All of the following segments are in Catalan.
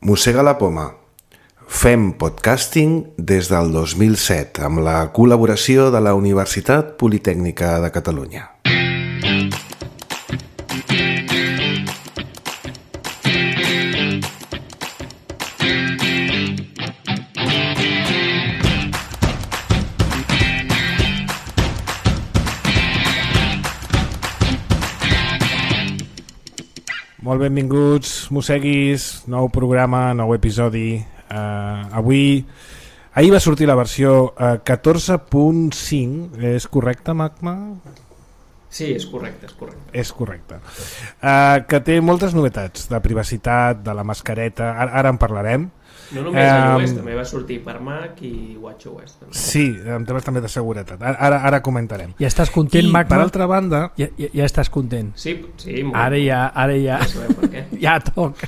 Mossega la poma. Fem podcasting des del 2007 amb la col·laboració de la Universitat Politècnica de Catalunya. Molt benvinguts, mosseguis, nou programa, nou episodi. Ahir va sortir la versió 14.5, és correcte, Magma? Sí, és correcte. És correcte. Que té moltes novetats, de privacitat, de la mascareta, ara en parlarem. No només iOS, també va sortir per Mac i WatchOS. També. Sí, en temes també de seguretat. Ara comentarem. Ja estàs content, Magma? Per altra banda... Ja estàs content. Sí, molt. Ara ja. No sabem per què. Ja toca.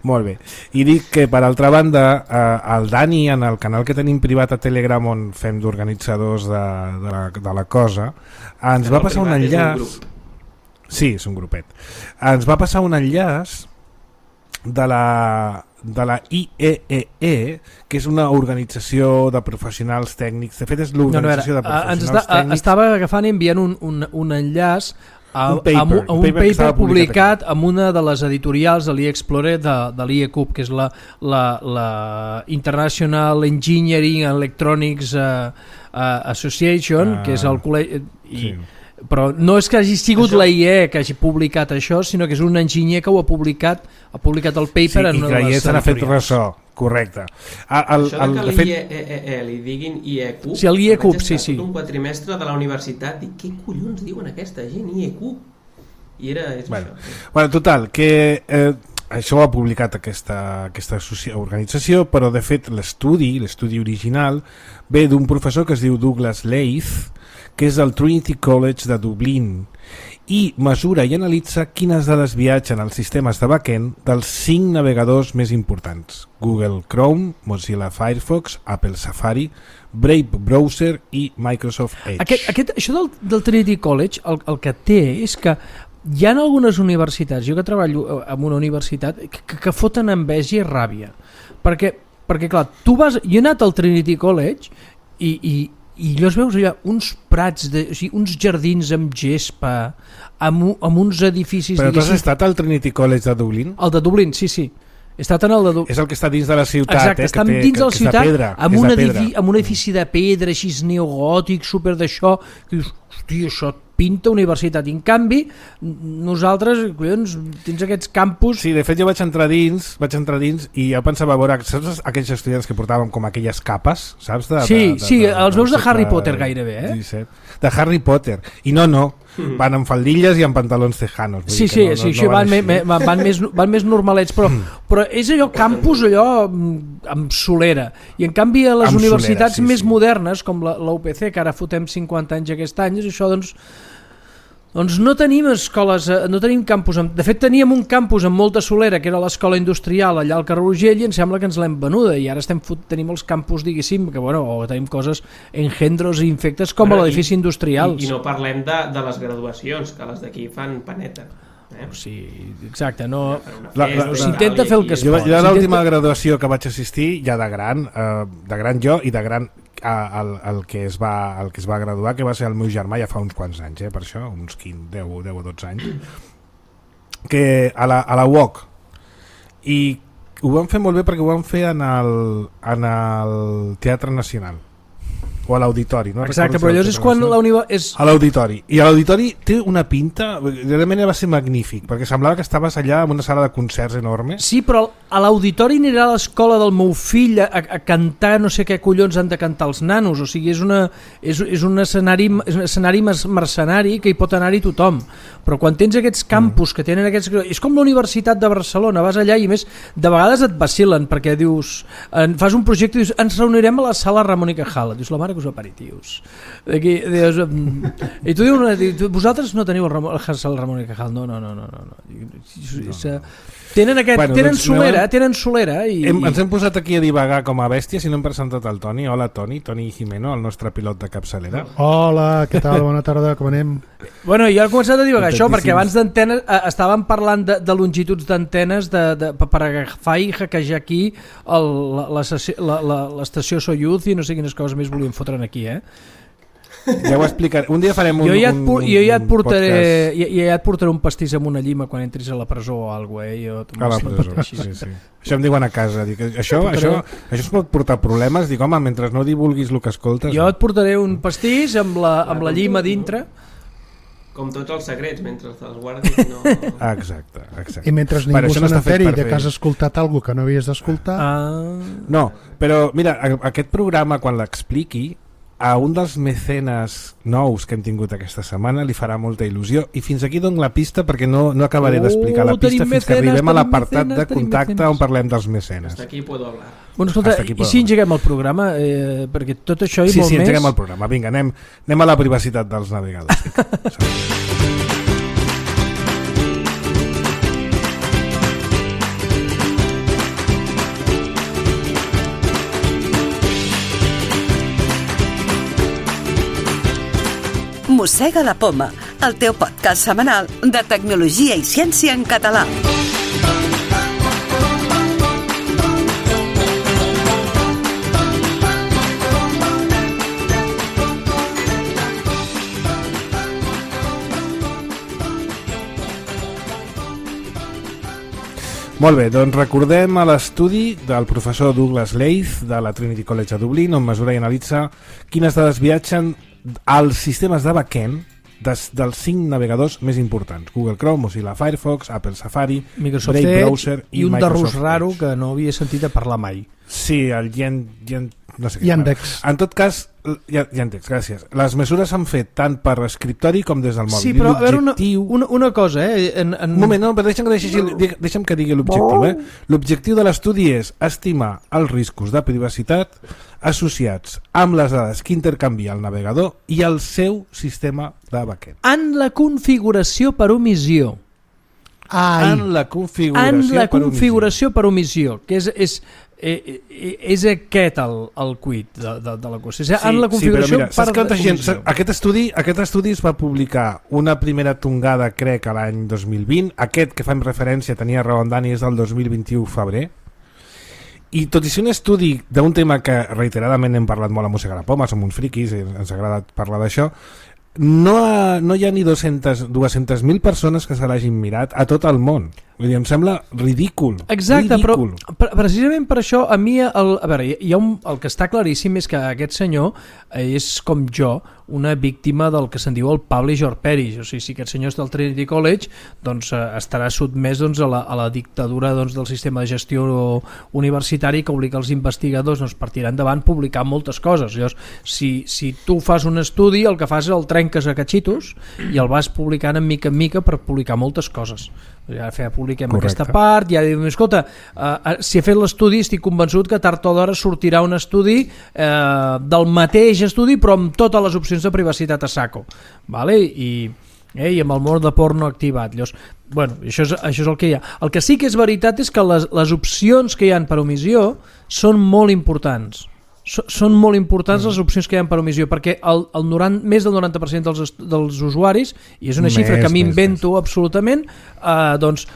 Molt bé. I dic que, per altra banda, el Dani, en el canal que tenim privat a Telegram, on fem d'organitzadors de la cosa, ens va passar un enllaç... Sí, és un grupet. Ens va passar un enllaç de la IEEE, que és una organització de professionals tècnics. De fet, és l'organització de professionals tècnics. Estava agafant i enviant un enllaç a un paper publicat en una de les editorials de l'eXplorer de l'IECUB, que és la International Engineering Electronics Association, que és el col·legi... Sí. Però no és que hagi sigut la IE que hagi publicat això, sinó que és un enginyer que ho ha publicat el paper en una de les editorials. Se n'ha fet ressò, correcte. Això que l'IEEE li diguin IECUB, sí, l'IECUB, sí. Un quatrimestre de la universitat, i què collons diuen aquesta gent, IECUB? I és això. Bueno, total, que això ho ha publicat aquesta organització, però de fet l'estudi original ve d'un professor que es diu Douglas Leith, que és del Trinity College de Dublín, i mesura i analitza quines dades viatgen als sistemes de backend dels 5 navegadors més importants: Google Chrome, Mozilla Firefox, Apple Safari, Brave Browser i Microsoft Edge. Això del Trinity College el que té és que hi ha algunes universitats, jo que treballo en una universitat, que foten enveja i ràbia, perquè clar, jo he anat al Trinity College i llavors veus allà uns prats, uns jardins amb gespa, amb uns edificis... Però tu has estat al Trinity College de Dublín? El de Dublín, sí. He estat en el de Dublín. És el que està dins de la ciutat. Exacte, està dins de la ciutat, amb un edifici de pedra, així neogòtic, super d'això, que dius, hòstia, això pinta universitat. I en canvi, nosaltres, collons, tens aquests campus... Sí, de fet jo vaig entrar dins i jo pensava, a veure, saps aquells estudiants que portàvem com aquelles capes, saps? Sí, els veus de Harry Potter gairebé, eh? 17, de Harry Potter. I no, van amb faldilles i amb pantalons tejanos. Sí, van més normalets, però és allò campus amb solera. I en canvi a les universitats més modernes, com la UPC, que ara fotem 50 anys aquest any, és això, doncs no tenim escoles, no tenim campus. De fet, teníem un campus amb molta solera, que era l'escola industrial allà al carrer Urgell, i em sembla que ens l'hem venuda, i ara tenim els campus, diguéssim, que tenim coses engendros i infectes com a l'edifici industrial. I no parlem de les graduacions, que les d'aquí fan paneta. Sí, exacte, no... S'intenta fer el que es pot. Jo l'última graduació que vaig assistir, ja de gran jo i de gran el que es va graduar, que va ser el meu germà ja fa uns quants anys, per això, uns 10 o 12 anys, que a la UOC, i ho van fer molt bé perquè ho van fer en el Teatre Nacional o a l'Auditori, no? Exacte, però allò és quan a l'Auditori, i a l'Auditori té una pinta, realment va ser magnífic, perquè semblava que estaves allà en una sala de concerts enorme. Sí, però a l'Auditori anirà a l'escola del meu fill a cantar no sé què collons han de cantar els nanos, o sigui, és un escenari mercenari que hi pot anar-hi tothom, però quan tens aquests campus que tenen aquests... És com la Universitat de Barcelona, vas allà i més de vegades et vacilen, perquè dius, fas un projecte i dius, ens reunirem a la sala Ramon i Cajal, dius, la mare que us aperitius. I tu dius, vosaltres no teniu el Ramon i Cajal? No. Tenen solera i... Ens hem posat aquí a divagar com a bèstia, si no hem presentat el Toni. Hola Toni Jimeno, el nostre pilot de capçalera. Hola, què tal? Bona tarda, com anem? Bueno, jo he començat a divagar això perquè abans d'antenes estàvem parlant de longituds d'antenes per agafar i hackejar aquí l'estació Soyuz i no sé quines coses més volíem fotre'n aquí, Ja ho explicaré. Un dia farem un ja et portaré un pastís amb una llima quan entris a la presó o alguna cosa. A la presó, sí. Això em diuen a casa. Dic, això es pot portar problemes. Dic, home, mentre no divulguis el que escoltes... Jo et portaré un pastís amb la llima dintre. Com tots els secrets, mentre te'ls guardis no... Exacte. I mentre ningú se n'enteri de que has escoltat alguna que no havies d'escoltar... No, però mira, aquest programa, quan l'expliqui, a un dels mecenes nous que hem tingut aquesta setmana li farà molta il·lusió i fins aquí dono la pista perquè no acabaré d'explicar la pista fins que arribem a l'apartat de contacte on parlem dels mecenes. Hasta aquí puedo hablar. Bueno, escolta, i si engeguem el programa? Perquè tot això i molt més... Sí, engeguem el programa. Vinga, anem a la privacitat dels navegadors. Mossega la Poma, el teu podcast setmanal de tecnologia i ciència en català. Molt bé, doncs recordem a l'estudi del professor Douglas Leith de la Trinity College a Dublín, on mesura i analitza quines dades viatgen als sistemes de backend dels 5 navegadors més importants: Google Chrome, Mozilla Firefox, Apple Safari, Microsoft Brave Edge Browser i un de Microsoft rus raro Edge. que no havia sentit a parlar mai. Sí, el no sé què. Yandex. En tot cas, Yandex, gràcies. Les mesures s'han fet tant per escriptori com des del mòbil. Sí, però a veure una cosa, Un moment, no, però deixa'm que digui l'objectiu. L'objectiu de l'estudi és estimar els riscos de privacitat associats amb les dades que intercanvia el navegador i el seu sistema de backend. En la configuració per omissió. En la configuració per omissió, que és aquest el quid de la cosa. En la configuració per omissió. Aquest estudi es va publicar una primera tongada, crec, a l'any 2020. Aquest que fem referència, tenia raó en Dani, és del 2021 febrer. I tot i ser un estudi d'un tema que reiteradament hem parlat molt a Mossega la Poma, som uns friquis i ens agrada parlar d'això, no hi ha ni 200.000 persones que se l'hagin mirat a tot el món. Vull dir, em sembla ridícul. Exacte, ridícul. Però precisament per això a mi, a veure, el que està claríssim és que aquest senyor és, com jo, una víctima del que se'n diu el publish or perish. O sigui, si aquest senyor és del Trinity College, doncs estarà sotmès a la dictadura del sistema de gestió universitari que obliga els investigadors per tirar endavant publicar moltes coses. Llavors, si tu fas un estudi, el que fas és el trenques a catxitos i el vas publicant en mica per publicar moltes coses. Ja publiquem aquesta part, ja diu, escolta, si he fet l'estudi estic convençut que tard o d'hora sortirà un estudi del mateix estudi però amb totes les opcions de privacitat a saco, vale? I amb el món de porno activat. Llavors, bueno, això és el que hi ha. El que sí que és veritat és que les opcions que hi ha per omissió són molt importants. Són molt importants les opcions que hi ha per omissió, perquè més del 90% dels usuaris, i és una xifra que m'invento absolutament, doncs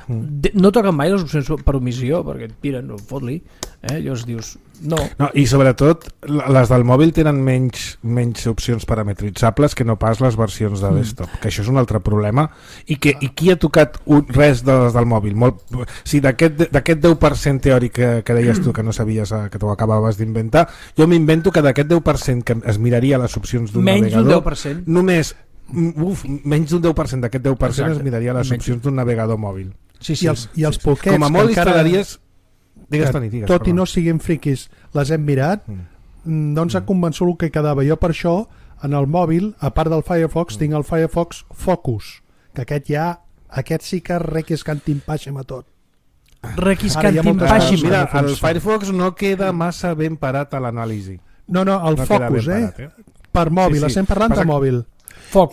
no toquen mai les opcions per omissió, perquè et piren, fot-li, llavors dius no. I sobretot les del mòbil tenen menys opcions parametritzables que no pas les versions de desktop, que això és un altre problema, i qui ha tocat res de les del mòbil? Si d'aquest 10% teòric que deies tu que no sabies, que t'ho acabaves d'inventar, jo m'invento que d'aquest 10% que es miraria les opcions d'un navegador, només menys d'un 10% d'aquest 10% es miraria les opcions d'un navegador mòbil. I els poquets com a molt instal·laries... Tot i no siguin friquis, les hem mirat, doncs ha convençut el que quedava. Jo per això, en el mòbil, a part del Firefox, tinc el Firefox Focus, que aquest sí que requiscantimpàxim a tot. Requiscantimpàxim. Mira, el Firefox no queda massa ben parat a l'anàlisi. No, el Focus, per mòbil, estem parlant de mòbil.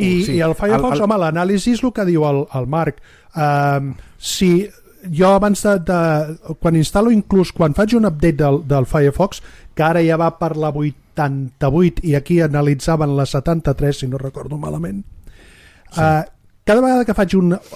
I el Firefox, home, l'anàlisi és el que diu el Marc. Si jo abans quan instal·lo, inclús quan faig un update del Firefox, que ara ja va per la 88 i aquí analitzaven la 73, si no recordo malament, cada vegada que faig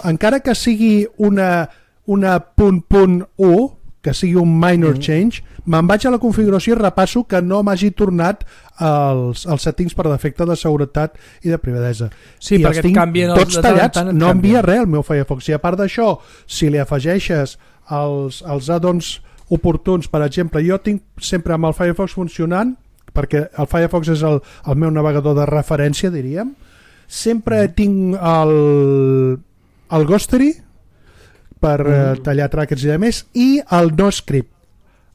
encara que sigui una .1, que sigui un minor change, me'n vaig a la configuració i repasso que no m'hagi tornat els settings per defecte de seguretat i de privadesa. Sí, i perquè canvien tots tallats, no envia res al meu Firefox. I a part d'això, si li afegeixes els add-ons oportuns, per exemple, jo tinc sempre amb el Firefox funcionant, perquè el Firefox és el meu navegador de referència, diríem, sempre tinc el Ghostery per tallar trackers i demés, i el NoScript.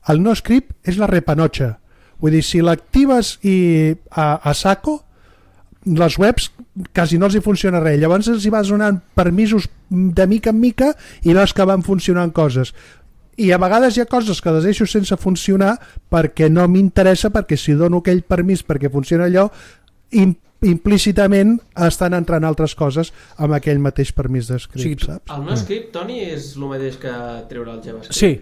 El NoScript és la repanotxa. Vull dir, si l'actives a saco, les webs quasi no els hi funciona res. Llavors els hi vas donant permisos de mica en mica i veus que van funcionant coses. I a vegades hi ha coses que les deixo sense funcionar perquè no m'interessa, perquè si dono aquell permís perquè funciona allò, implícitament estan entrant altres coses amb aquell mateix permís d'escript, saps? El NoScript, Toni, és el mateix que treure el JavaScript? Sí.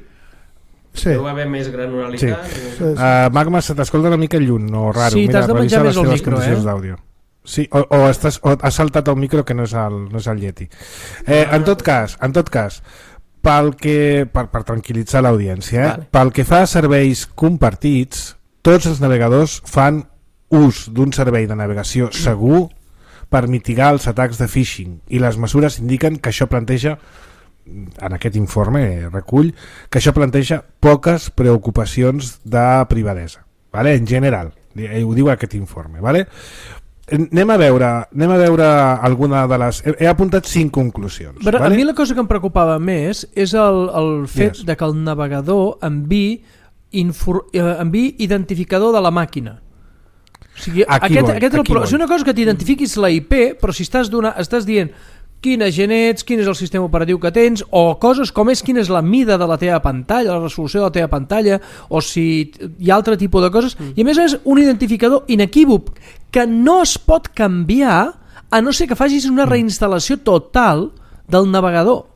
Deu haver més granularitat? Sí. Magma, se t'escolta una mica lluny, no raro. Sí, t'has de menjar més el micro, d'àudio. Sí, o has saltat el micro que no és el Yeti. En tot cas, per tranquil·litzar l'audiència, vale. Pel que fa a serveis compartits, tots els navegadors fan ús d'un servei de navegació segur per mitigar els atacs de phishing, i les mesures indiquen que això planteja, en aquest informe recull, que això planteja poques preocupacions de privadesa, vale? En general, ho diu aquest informe, vale? Anem a veure alguna de les... He apuntat 5 conclusions. Però vale? A mi la cosa que em preocupava més és el fet de que el navegador enviï identificador de la màquina. O sigui, és una cosa que t'identifiquis la IP, però si estàs dient quina gent ets, quin és el sistema operatiu que tens, o coses com quina és la mida de la teva pantalla, la resolució de la teva pantalla, o si hi ha altre tipus de coses, i a més és un identificador inequívoc que no es pot canviar a no ser que facis una reinstal·lació total del navegador.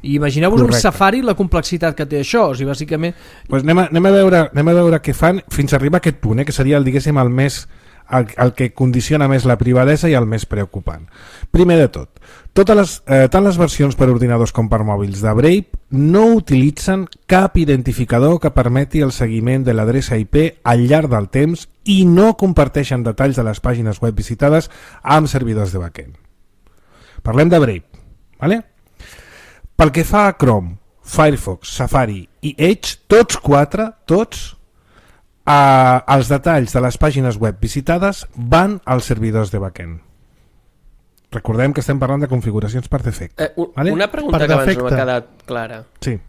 I imagineu-vos un Safari, la complexitat que té això. O sigui, bàsicament... Pues anem a veure què fan fins a arribar a aquest punt, que seria diguéssim el que condiciona més la privadesa i el més preocupant. Primer de tot, tant les versions per ordinadors com per mòbils de Brave no utilitzen cap identificador que permeti el seguiment de l'adreça IP al llarg del temps i no comparteixen detalls de les pàgines web visitades amb servidors de backend. Parlem de Brave, ¿vale? Pel que fa a Chrome, Firefox, Safari i Edge, tots els detalls de les pàgines web visitades van als servidors de backend. Recordem que estem parlant de configuracions per defecte. ¿vale? Una pregunta per que abans no m'ha quedat clara. Sí.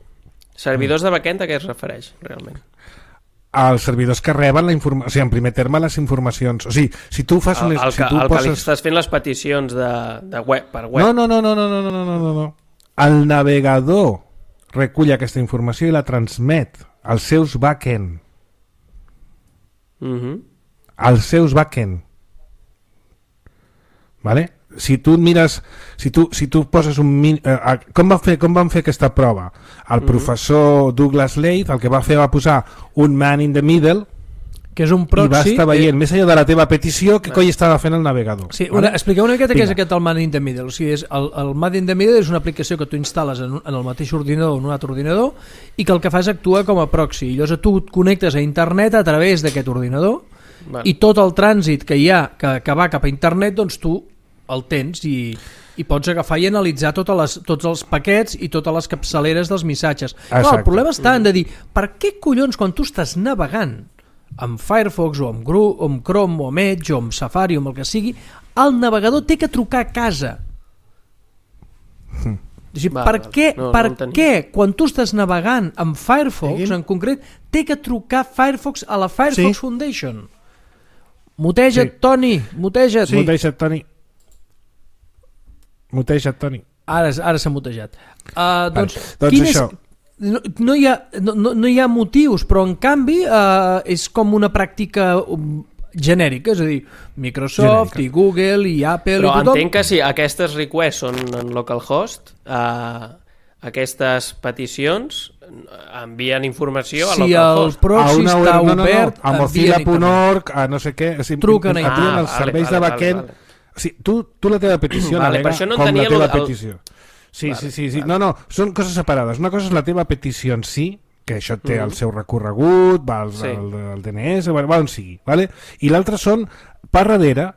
Servidors de backend a què es refereix, realment? Els servidors que reben la informació, o sigui, en primer terme les informacions, o sigui, si tu fas el que li estàs fent les peticions de web per web. No. El navegador recull aquesta informació i la transmet als seus backend. Als seus backend. Vale? Si tu mires, si tu poses un com van fer aquesta prova? El professor Douglas Leith el que va fer va posar un man in the middle, que és un proxy, i va estar veient més enllà de la teva petició que coi estava fent el navegador. Sí, expliqueu una miqueta què és aquest el man in the middle. O sigui, el man in the middle és una aplicació que tu instal·les en el mateix ordinador o en un altre ordinador i que el que fas actua com a proxy. I llavors tu et connectes a internet a través d'aquest ordinador i tot el trànsit que hi ha que va cap a internet, doncs tu el tens i pots agafar i analitzar tots els paquets i totes les capçaleres dels missatges. Clar, el problema està en de dir, per què collons quan tu estàs navegant amb Firefox o amb Chrome o amb Edge o amb Safari o amb el que sigui, el navegador té que trucar a casa? Per què quan tu estàs navegant amb Firefox en concret té que trucar Firefox a la Firefox Foundation? Muteja't, Toni, muteja't. Muteja't, Toni. Ara s'ha mutejat. Doncs això. No hi ha motius, però en canvi és com una pràctica genèrica, és a dir, Microsoft i Google i Apple però i tothom. Entenc que si aquestes requests són en localhost, aquestes peticions envien informació a si el proxy està obert, a mozilla.org, a no sé què, truquen els serveis de backend. Tu la teva petició navega com la teva petició. Sí. No, són coses separades. Una cosa és la teva petició en si, que això té el seu recorregut, va al DNS, va on sigui, vale? I l'altre són, per darrere,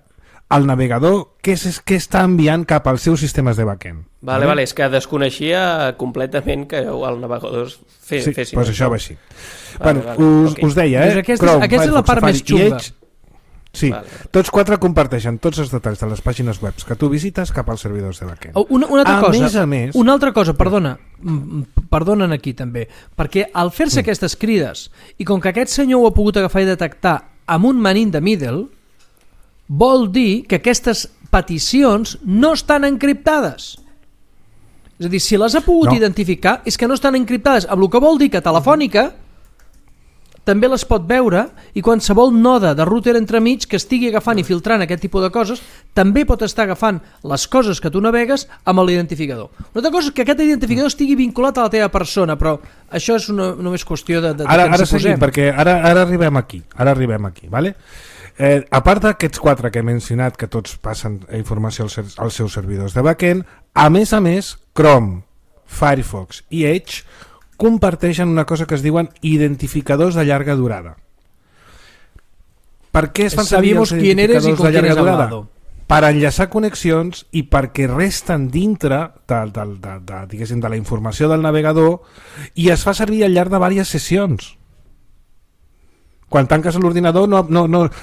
el navegador que està enviant cap als seus sistemes de backend. Vale, és que desconeixia completament que el navegador fessin això. Sí, doncs això va així. Us deia, Chrome, aquesta és la part més xunga. Sí, tots quatre comparteixen tots els detalls de les pàgines web que tu visites cap als servidors de backend. Una altra cosa, perdonen aquí també, perquè al fer-se aquestes crides, i com que aquest senyor ho ha pogut agafar i detectar amb un man in the middle, vol dir que aquestes peticions no estan encriptades. És a dir, si les ha pogut identificar és que no estan encriptades, amb el que vol dir que Telefònica també les pot veure i qualsevol node de router entremig que estigui agafant i filtrant aquest tipus de coses també pot estar agafant les coses que tu navegues amb l'identificador. Una altra cosa és que aquest identificador estigui vinculat a la teva persona, però això és només qüestió de ara seguim, perquè ara arribem aquí, vale? A part d'aquests quatre que he mencionat, que tots passen informació als seus servidors de backend, a més, Chrome, Firefox i Edge comparteixen una cosa que es diuen identificadors de llarga durada. Per què es fan servir els identificadors de llarga durada? Per enllaçar connexions i perquè resten dintre de la informació del navegador i es fa servir al llarg de diverses sessions. Quan tanques l'ordinador o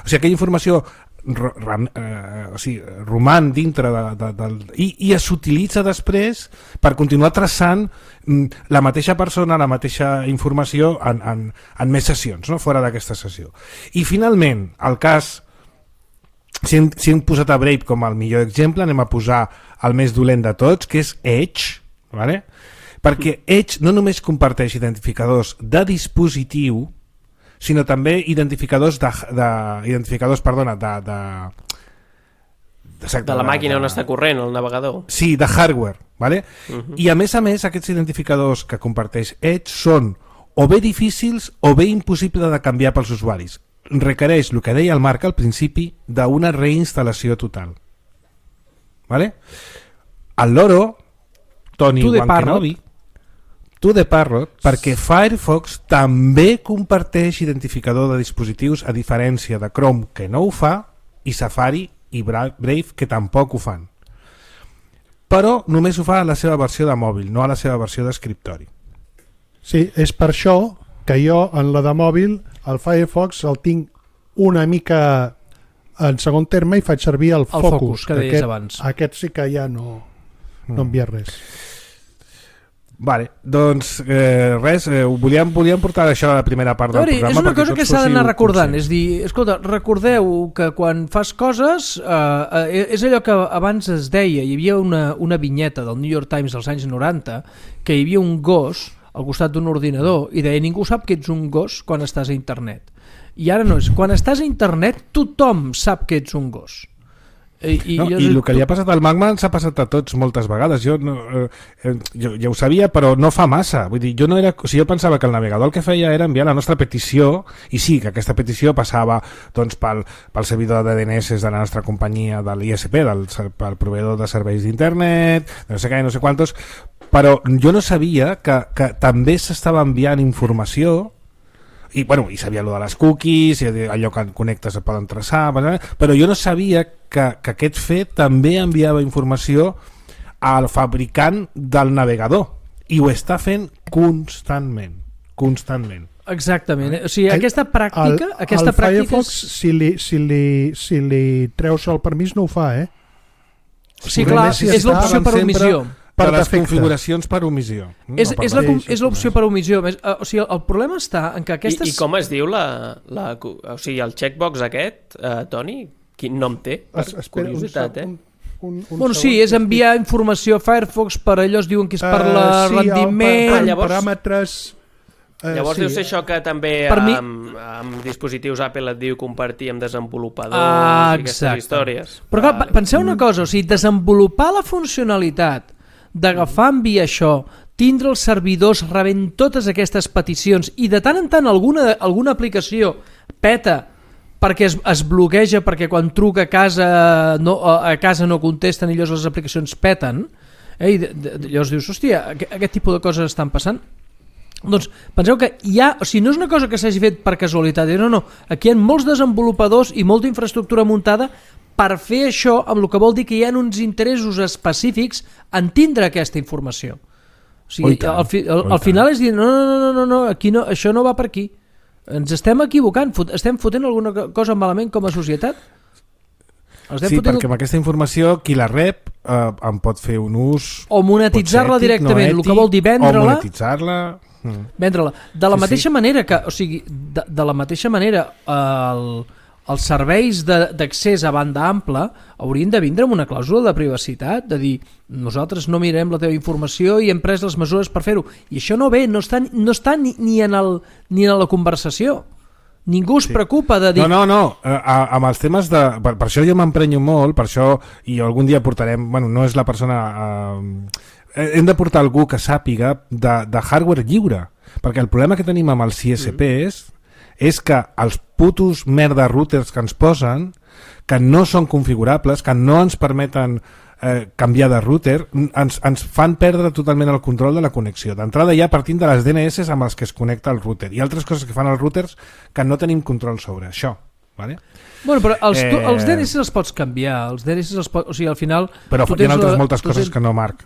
sigui, aquella informació roman dintre i s'utilitza després per continuar traçant la mateixa persona, la mateixa informació en més sessions, no? Fora d'aquesta sessió. I finalment, el cas, si hem posat a Brave com el millor exemple, anem a posar el més dolent de tots, que és Edge, vale? Perquè Edge no només comparteix identificadors de dispositiu, sinó també identificadors de la màquina on està corrent el navegador. Sí, de hardware, vale? I a més, aquests identificadors que comparteix Edge són o bé difícils o bé impossible de canviar pels usuaris. Requereix, el que deia el Marc al principi, d'una reinstal·lació total. Vale? El loro, Toni Wankenobi, de Parrot, perquè Firefox també comparteix identificador de dispositius, a diferència de Chrome, que no ho fa, i Safari i Brave, que tampoc ho fan. Però només ho fa a la seva versió de mòbil, no a la seva versió d'escriptori. Sí, és per això que jo en la de mòbil el Firefox el tinc una mica en segon terme i faig servir el Focus, que deies abans. Aquest sí que ja no envia res. Vale, doncs res, volíem portar això a la primera part del programa. És una cosa que s'ha d'anar recordant, és dir, escolta, recordeu que quan fas coses és allò que abans es deia, hi havia una vinyeta del New York Times dels anys 90 que hi havia un gos al costat d'un ordinador i deia, ningú sap que ets un gos quan estàs a internet, i ara no és, quan estàs a internet tothom sap que ets un gos. I el que li ha passat al Magma ens ha passat a tots moltes vegades. Jo ja ho sabia, però no fa massa. Vull dir, jo pensava que el navegador el que feia era enviar la nostra petició, i sí, que aquesta petició passava doncs, pel servidor de DNS de la nostra companyia, de l'ISP, pel proveïdor de serveis d'internet, no sé què, no sé quantos, però jo no sabia que també s'estava enviant informació. I sabia allò de les cookies, i allò que connectes et poden traçar, però jo no sabia que aquest fet també enviava informació al fabricant del navegador, i ho està fent constantment. Exactament, o sigui, aquesta pràctica... El Firefox, si li treus el permís, no ho fa, Sí, clar, és l'opció per omissió. Per les configuracions per omissió. És l'opció per omissió. O sigui, el problema està en que aquestes... I com es diu o sigui, el checkbox aquest, Toni? Quin nom té? Curiositat, sí, és enviar informació a Firefox per allò es diuen que és per rendiment... paràmetres... Llavors deu ser això que també amb dispositius Apple et diu compartir amb desenvolupadors i aquestes històries. Però clar, penseu una cosa, o sigui, desenvolupar la funcionalitat d'agafar, enviar això, tindre els servidors rebent totes aquestes peticions i de tant en tant alguna aplicació peta perquè es bloqueja, perquè quan truca a casa no contesten i llavors les aplicacions peten, i llavors dius, hòstia, aquest tipus de coses estan passant. Doncs penseu que no és una cosa que s'hagi fet per casualitat, no, aquí hi ha molts desenvolupadors i molta infraestructura muntada per fer això, amb el que vol dir que hi ha uns interessos específics en tindre aquesta informació. O sigui, al final és dir, no, aquí no, això no va per aquí. Ens estem equivocant, estem fotent alguna cosa malament com a societat. Sí, perquè amb aquesta informació qui la rep en pot fer un ús o monetitzar-la directament, el que vol dir vendre-la o monetitzar-la de la mateixa manera que, o sigui, de la mateixa manera els serveis d'accés a banda ampla haurien de vindre amb una clàusula de privacitat, de dir, nosaltres no mirem la teva informació i hem pres les mesures per fer-ho, i això no està ni en la conversació. Ningú es preocupa de dir... No, amb els temes de... Per això jo m'emprenyo molt, per això, i algun dia portarem... Bueno, no és la persona... hem de portar algú que sàpiga de hardware lliure, perquè el problema que tenim amb els CSPs és que els putos merda routers que ens posen, que no són configurables, que no ens permeten canviar de router, ens fan perdre totalment el control de la connexió. D'entrada ja partint de les DNS amb els que es connecta el router i altres coses que fan els routers que no tenim control sobre això. Vale? Bueno, però els DNS els pots canviar, els DNS els pots, o sigui, al final... Però hi ha moltes coses que no, Marc.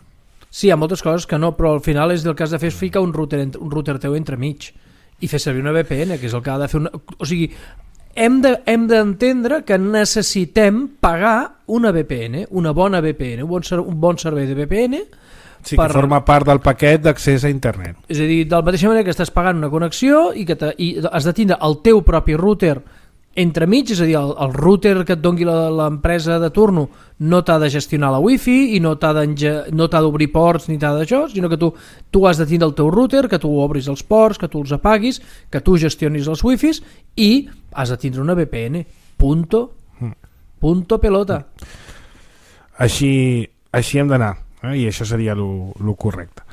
Sí, hi ha moltes coses que no, però al final és el que has de fer és ficar un router teu entremig i fer servir una VPN, que és el que ha de fer o sigui, hem d'entendre que necessitem pagar una VPN, una bona VPN, un bon servei de VPN. Sí, que forma part del paquet d'accés a internet. És a dir, de la mateixa manera que estàs pagant una connexió i has de tindre el teu propi router entremig, és a dir, el router que et doni l'empresa de turno no t'ha de gestionar la wifi i no t'ha d'obrir ports ni t'ha d'això, sinó que tu has de tindre el teu router, que tu obris els ports, que tu els apaguis, que tu gestionis els wifis i has de tindre una VPN. Punto pelota. Així hem d'anar. I això seria el correcte.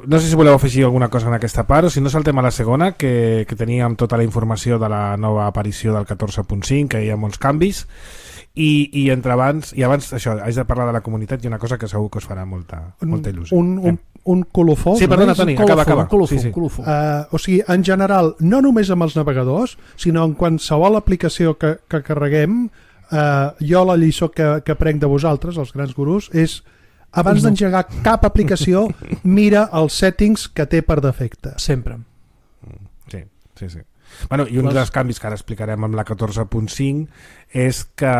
No sé si voleu afegir alguna cosa en aquesta part o si no saltem a la segona, que teníem tota la informació de la nova aparició del 14.5, que hi ha molts canvis i abans això, haig de parlar de la comunitat i una cosa que segur que us farà molta il·lusió. Un colofó. Sí, perdona, Toni, acaba. Colofó. O sigui, en general, no només amb els navegadors, sinó en qualsevol aplicació que carreguem. Jo la lliçó que prenc de vosaltres, els grans gurus, és abans d'engegar cap aplicació mira els settings que té per defecte. Sempre. Sí. Bueno, i un dels canvis que ara explicarem amb la 14.5 és que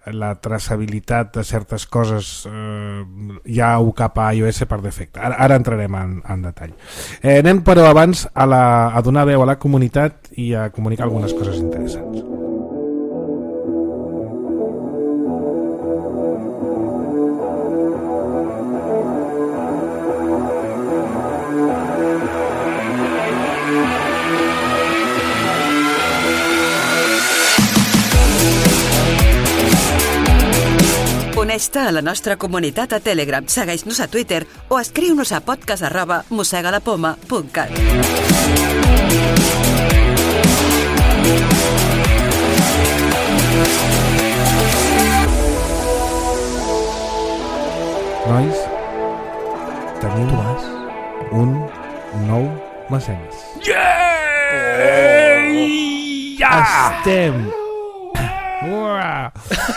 la traçabilitat de certes coses ja ho cap a iOS per defecte. Ara entrarem en detall. Anem però abans a donar veu a la comunitat i a comunicar algunes coses interessants. Uneix-te a la nostra comunitat a Telegram, segueix-nos a Twitter o escriu-nos a podcast@mossegalapoma.cat. Nois, tenim un nou mecenes.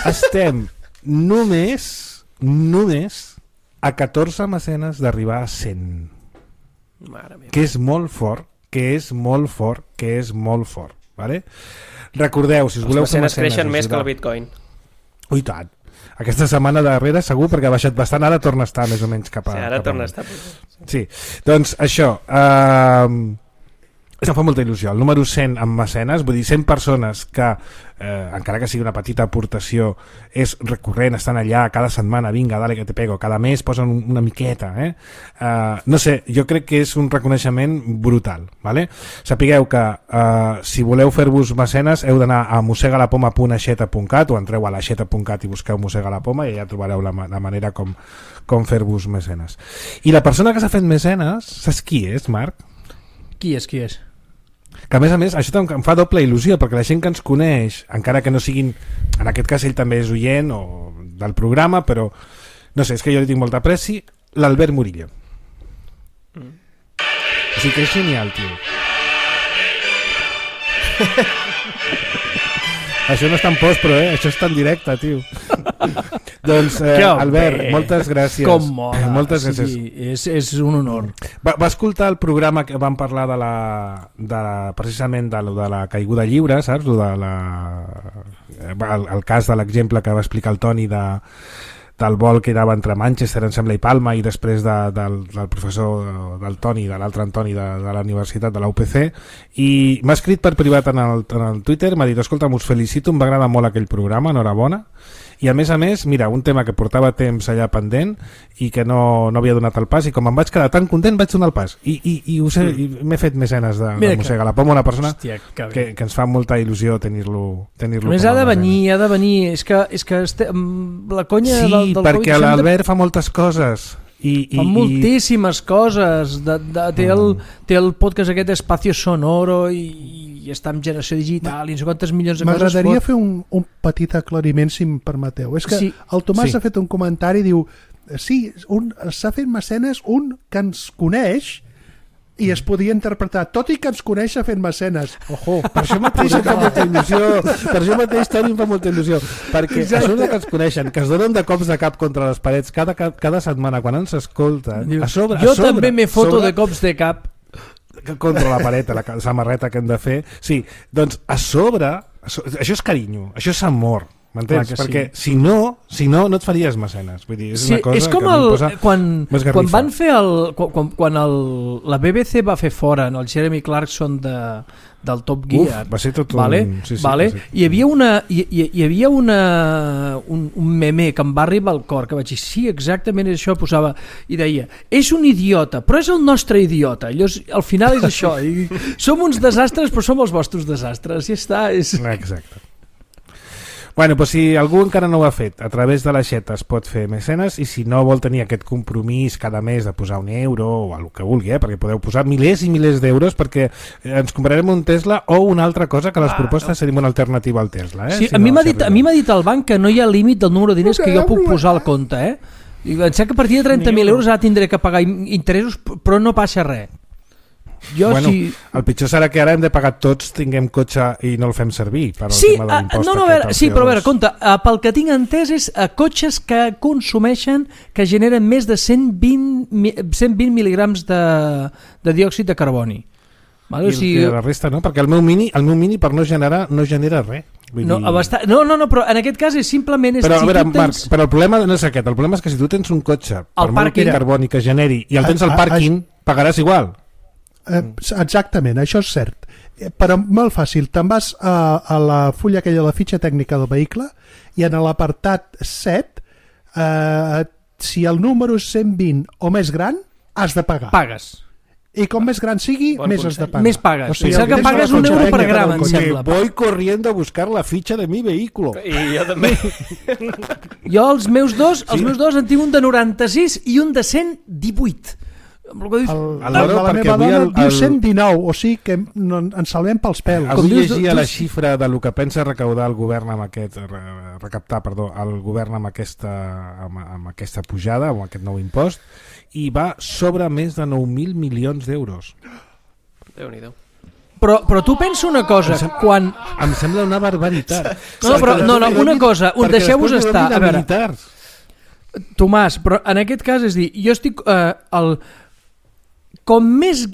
Estem només a 14 mecenes d'arribar a 100. Que és molt fort, vale? Recordeu, si us voleu fer mecenes creixen més que el Bitcoin. Ui, tant. Aquesta setmana darrere segur, perquè ha baixat bastant, ara torna a estar més o menys cap a... Sí, ara torna a estar. Sí, doncs això, Em fa molta il·lusió. El número 100 amb mecenes, vull dir, 100 persones que, encara que sigui una petita aportació, és recurrent, estan allà cada setmana, vinga, dale que te pego, cada mes posen una miqueta. No sé, jo crec que és un reconeixement brutal. Vale? Sapigueu que si voleu fer-vos mecenes heu d'anar a mossegalapoma.aixeta.cat o entreu a l'aixeta.cat i busqueu Mossega la Poma i allà trobareu la manera com fer-vos mecenes. I la persona que s'ha fet mecenes, saps qui és, Marc? Qui és? Que a més, això em fa doble il·lusió, perquè la gent que ens coneix, encara que no siguin, en aquest cas ell també és oient o del programa, però no sé, és que jo li tinc molta apreci, l'Albert Murillo. O sigui que és genial, tio. Això no està en post, però això està en directe, tio. Doncs, Albert, moltes gràcies. Com mola. Moltes gràcies. Sí, és un honor. Va escoltar el programa que vam parlar precisament de la caiguda lliure, saps? El cas de l'exemple que va explicar el Toni del vol que anava entre Manchester, em sembla, i Palma, i després del professor del Toni, de l'altre Antoni de la Universitat de la UPC, i m'ha escrit per privat en el Twitter, m'ha dit, escolta, us felicito, em va agradar molt aquell programa, enhorabona, i a més, mira, un tema que portava temps allà pendent i que no havia donat el pas, i com em vaig quedar tan content vaig donar el pas i m'he fet mecenes de Mossega la Poma, una persona que ens fa molta il·lusió tenir-lo més ha de venir, és que la conya sí, del perquè l'Albert fa moltes coses fa moltíssimes coses té el podcast aquest Espacio Sonoro i està en generació digital i no sé quantes milions de coses. M'agradaria fer un petit aclariment, si em permeteu. És que el Tomàs ha fet un comentari, diu, sí, s'ha fet mecenes un que ens coneix i es podia interpretar, tot i que ens coneix s'ha fet mecenes. Ojo, per això mateix em fa molta il·lusió, Toni, em fa molta il·lusió, perquè això que ens coneixen, que es donen de cops de cap contra les parets cada setmana quan ens escolten, jo també m'he foto de cops de cap contra la paret, la samarreta que hem de fer. Sí, doncs a sobre, això és carinyo, això és amor, m'entens? Perquè si no et faries mecenes. Vull dir, és una cosa és com que em posa quan van fer quan la BBC va fer fora el Jeremy Clarkson del Top Gear. Va ser tot Hi havia un meme que em va arribar al cor, que vaig dir, sí, exactament això, posava, i deia, és un idiota, però és el nostre idiota. Al final és això. Som uns desastres, però som els vostres desastres. Ja està. Exacte. Bueno, doncs si algú encara no ho ha fet, a través de l'aixeta es pot fer mecenes, i si no vol tenir aquest compromís cada mes de posar €1 o el que vulgui, perquè podeu posar milers i milers d'euros perquè ens comprarem un Tesla o una altra cosa, que les propostes serien una alternativa al Tesla. Sí, a mi m'ha dit el banc que no hi ha límit del número de diners que jo puc posar al compte. I em sembla que a partir de 30.000 euros ara tindré que pagar interessos, però no passa res. El pitjor serà que ara hem de pagar tots, tinguem cotxe i no el fem servir per al tema de l'impost. Sí, però a veure, compte, pel que tinc entès és cotxes que consumeixen, que generen més de 120 mil·lígrams de diòxid de carboni. I la resta no, perquè el meu mini per no genera res. No, però en aquest cas és simplement... Però a veure, Marc, però el problema no és aquest, el problema és que si tu tens un cotxe per molt carboni que generi i el tens al pàrquing, pagaràs igual. Exactament, això és cert, però molt fàcil, te'n vas a la fulla aquella, la fitxa tècnica del vehicle, i en l'apartat 7 si el número és 120 o més gran has de pagar. Pagues. I com més gran sigui, més has de pagar. Més pagues. O sigui, que pagues €1 per gram, em sembla. Voy corriendo a buscar la fitxa de mi vehículo. I jo també. Jo els meus dos en tinc un de 96 i un de 118. La meva dona diu 119, o sigui que ens salvem pels pèls. Avui llegia la xifra de lo que pensa recaptar el govern amb aquesta pujada, amb aquest nou impost, i va sobre més de 9.000 milions d'euros. Déu-n'hi-do. Però tu pensa una cosa, quan... Em sembla una barbaritat. No, una cosa, deixeu-vos estar. A veure, Tomàs, però en aquest cas, és dir, jo estic... Com més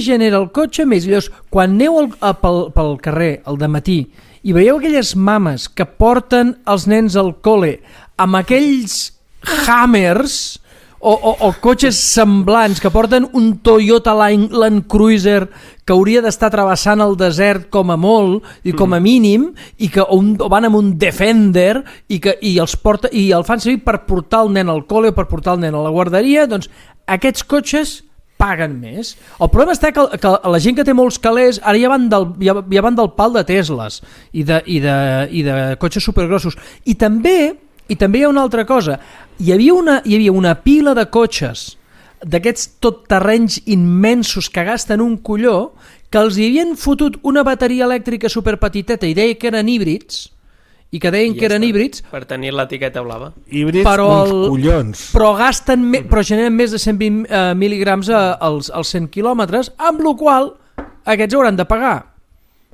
genera el cotxe, més. Llavors, quan aneu pel carrer al dematí i veieu aquelles mames que porten els nens al col·le amb aquells Hammers o cotxes semblants que porten un Toyota Land Cruiser que hauria d'estar travessant el desert com a molt i com a mínim, i que o van amb un Defender i el fan servir per portar el nen al col·le o per portar el nen a la guarderia. Doncs aquests cotxes paguen més. El problema està que la gent que té molts calés ara ja van del pal de Tesles i de cotxes supergrossos. I també hi ha una altra cosa. Hi havia una pila de cotxes d'aquests totterrenys immensos que gasten un colló, que els hi havien fotut una bateria elèctrica superpetiteta i deia que eren híbrids, i que deien que eren híbrids per tenir l'etiqueta blava. Híbrids, uns collons. Però generen més de 120 mil·ligrams als 100 quilòmetres, amb la qual aquests hauran de pagar.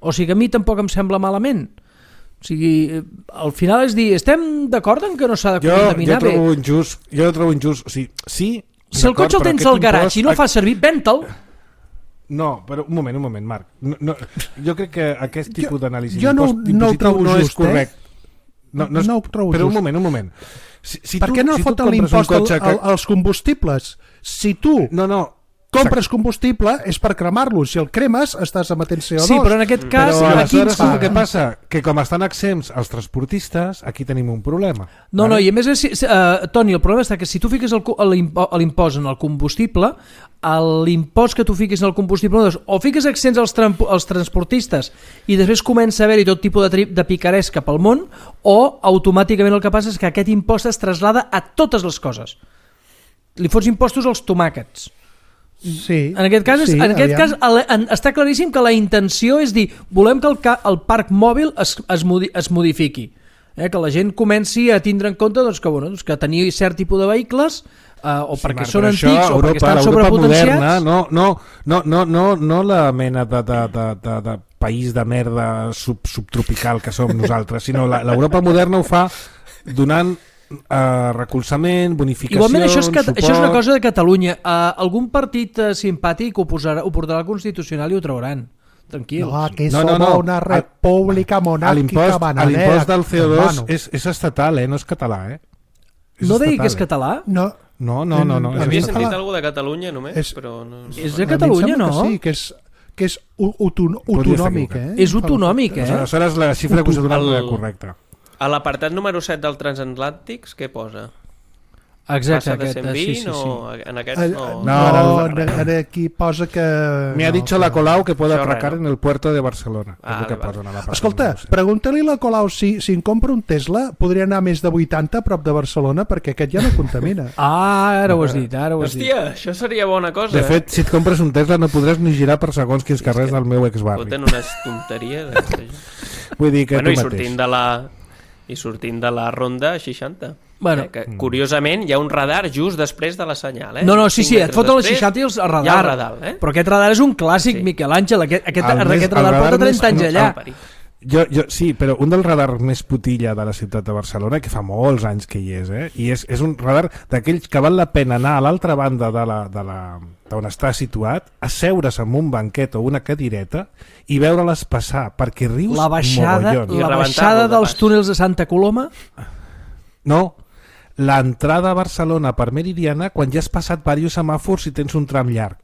O sigui, a mi tampoc em sembla malament. O sigui, al final és dir, estem d'acord en que no s'ha de contaminar bé? Jo trobo injust. O sigui, sí, si el cotxe el tens al garatge i no el fas servir, ven-te'l. No, però un moment, Marc. No, jo crec que aquest tipus d'anàlisi no el trobo just, és correcte. No ho trobo però just. un moment. Per què no foten l'impost als combustibles? Si tu compres combustible és per cremar-lo. Si el cremes estàs emetent CO2. Sí, però en aquest cas... Però aleshores què passa? Que com estan exempts els transportistes, aquí tenim un problema. No, i a més, Toni, el problema està que si tu fiques l'impost en el combustible, l'impost que tu fiquis en el combustible, o fiques exempts als transportistes i després comença a haver-hi tot tipus de picaresca pel món, o automàticament el que passa és que aquest impost es traslada a totes les coses. Li fots impostos als tomàquets. Sí, en aquest cas està claríssim que la intenció és dir, volem que el parc mòbil es modifiqui, que la gent comenci a tindre en compte que tenir cert tipus de vehicles o perquè són antics o perquè estan sobrepotenciats. No la mena de país de merda subtropical que som nosaltres, sinó l'Europa moderna ho fa donant recolzament, bonificacions, igualment això és una cosa de Catalunya. Algun partit simpàtic ho portarà al Constitucional i ho trauran, tranquils. No, aquí som una república monàrquica bananera. L'impost del CO2 és estatal, no és català. No digui que és català? No. Havia sentit alguna de Catalunya només, però no. És de Catalunya, no? Sí, que és autonòmic. És autonòmic, Aleshores la xifra que us he donat no és correcta. A l'apartat número 7 del Transatlàntics, què posa? Exacte, passa de 120 sí. o en aquests no, aquí posa que... Me ha dicho la Colau que puede atracar en el puerto de Barcelona. Escolta, pregunta-li a la Colau si em compra un Tesla podria anar més de 80 a prop de Barcelona, perquè aquest ja no contamina. Ara ho has dit, Hòstia, això seria bona cosa. De fet, si et compres un Tesla no podràs ni girar per segons quins carrers del meu exbarri. Foten unes tonteries. Vull dir que I sortint de la ronda 60. Que, curiosament hi ha un radar just després de la senyal. No, sí, et foten les 60 i el radar. Hi ha el radar, Però aquest radar és un clàssic, sí. Miquel Àngel. Aquest radar porta 30 anys allà. Sí, però un dels radars més putilla de la ciutat de Barcelona, que fa molts anys que hi és, i és un radar d'aquells que val la pena anar a l'altra banda d'on està situat, asseure's en un banquet o una cadireta i veure-les passar, perquè rius mogollon. La baixada dels túnels de Santa Coloma? No, l'entrada a Barcelona per Meridiana quan ja has passat diversos semàfors i tens un tram llarg,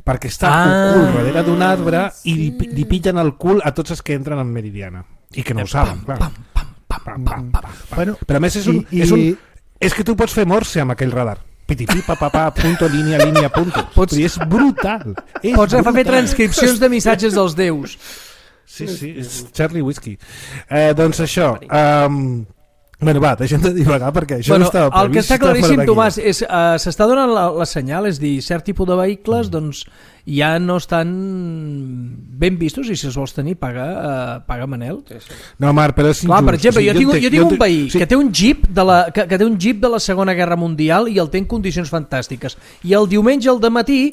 perquè està ocult darrere d'un arbre i li pillen el cul a tots els que entren en Meridiana i que no ho saben, clar. Però a més és que tu pots fer morse amb aquell radar. Punto, línia, punto. És brutal. Pots fer transcripcions de missatges dels déus. Sí, és Charlie Whiskey. Doncs això... deixem de divagar perquè això no estava previst. El que està claríssim, Tomàs, és s'està donant la senyal, és dir, cert tipus de vehicles doncs ja no estan ben vistos i si els vols tenir paga Manel. No, Marc, però és injust. Clar, per exemple, jo tinc un veí que té un jeep de la Segona Guerra Mundial i el té en condicions fantàstiques i el diumenge al dematí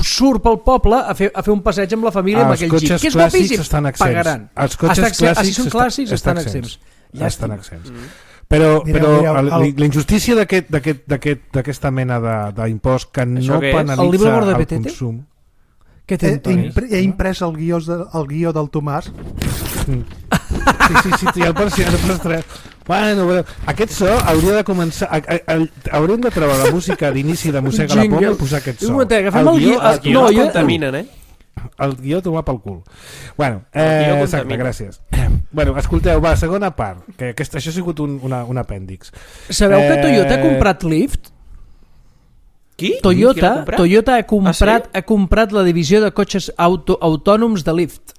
surt pel poble a fer un passeig amb la família amb aquell jeep. Els cotxes clàssics estan exempts. Els cotxes clàssics estan exempts. Estan exempts. Però la injustícia d'aquesta mena d'impost que no penalitza el consum. Què té, Toni? He imprès el guió del Tomàs. Sí, el pots tres. Bueno, però aquest so hauria de començar... Haurem de treure la música d'inici de Mossega la Poma i posar aquest so. Agafem el guió. Els guions contaminen, El guió tomar pel cul. Bueno, exacte, gràcies. Bueno, escolteu, va, segona part, que això ha sigut un apèndix. Sabeu que Toyota ha comprat Lyft? Qui? Toyota ha comprat la divisió de cotxes autònoms de Lyft.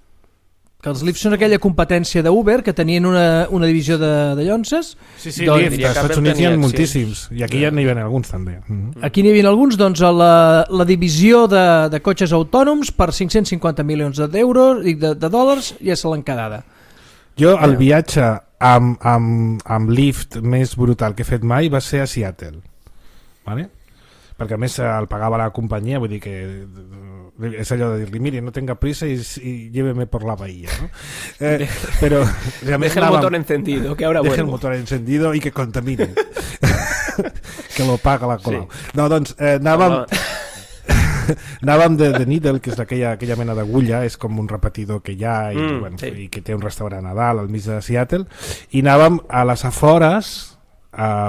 Que els Lyft són aquella competència d'Uber que tenien una divisió de llonces. Sí, Lyft, als Estats Units hi ha moltíssims, i aquí ja n'hi havia alguns també. Aquí n'hi havia alguns, doncs la divisió de cotxes autònoms per 550 milions d'euros i de dòlars ja se l'han quedada. Jo el viatge amb Lyft més brutal que he fet mai va ser a Seattle, vale? Perquè a més el pagava la companyia, vull dir que és allò de dir-li, mire, no tenga prisa y lléveme por la bahía, ¿no? Pero deja el motor encendido, que ahora deja el motor encendido y que contamine. Que lo paga la Colau. Sí. No, doncs anàvem de Needle, que és aquella mena d'agulla, és com un repetidor que hi ha i que té un restaurant a dalt al mig de Seattle, i anàvem a les afores a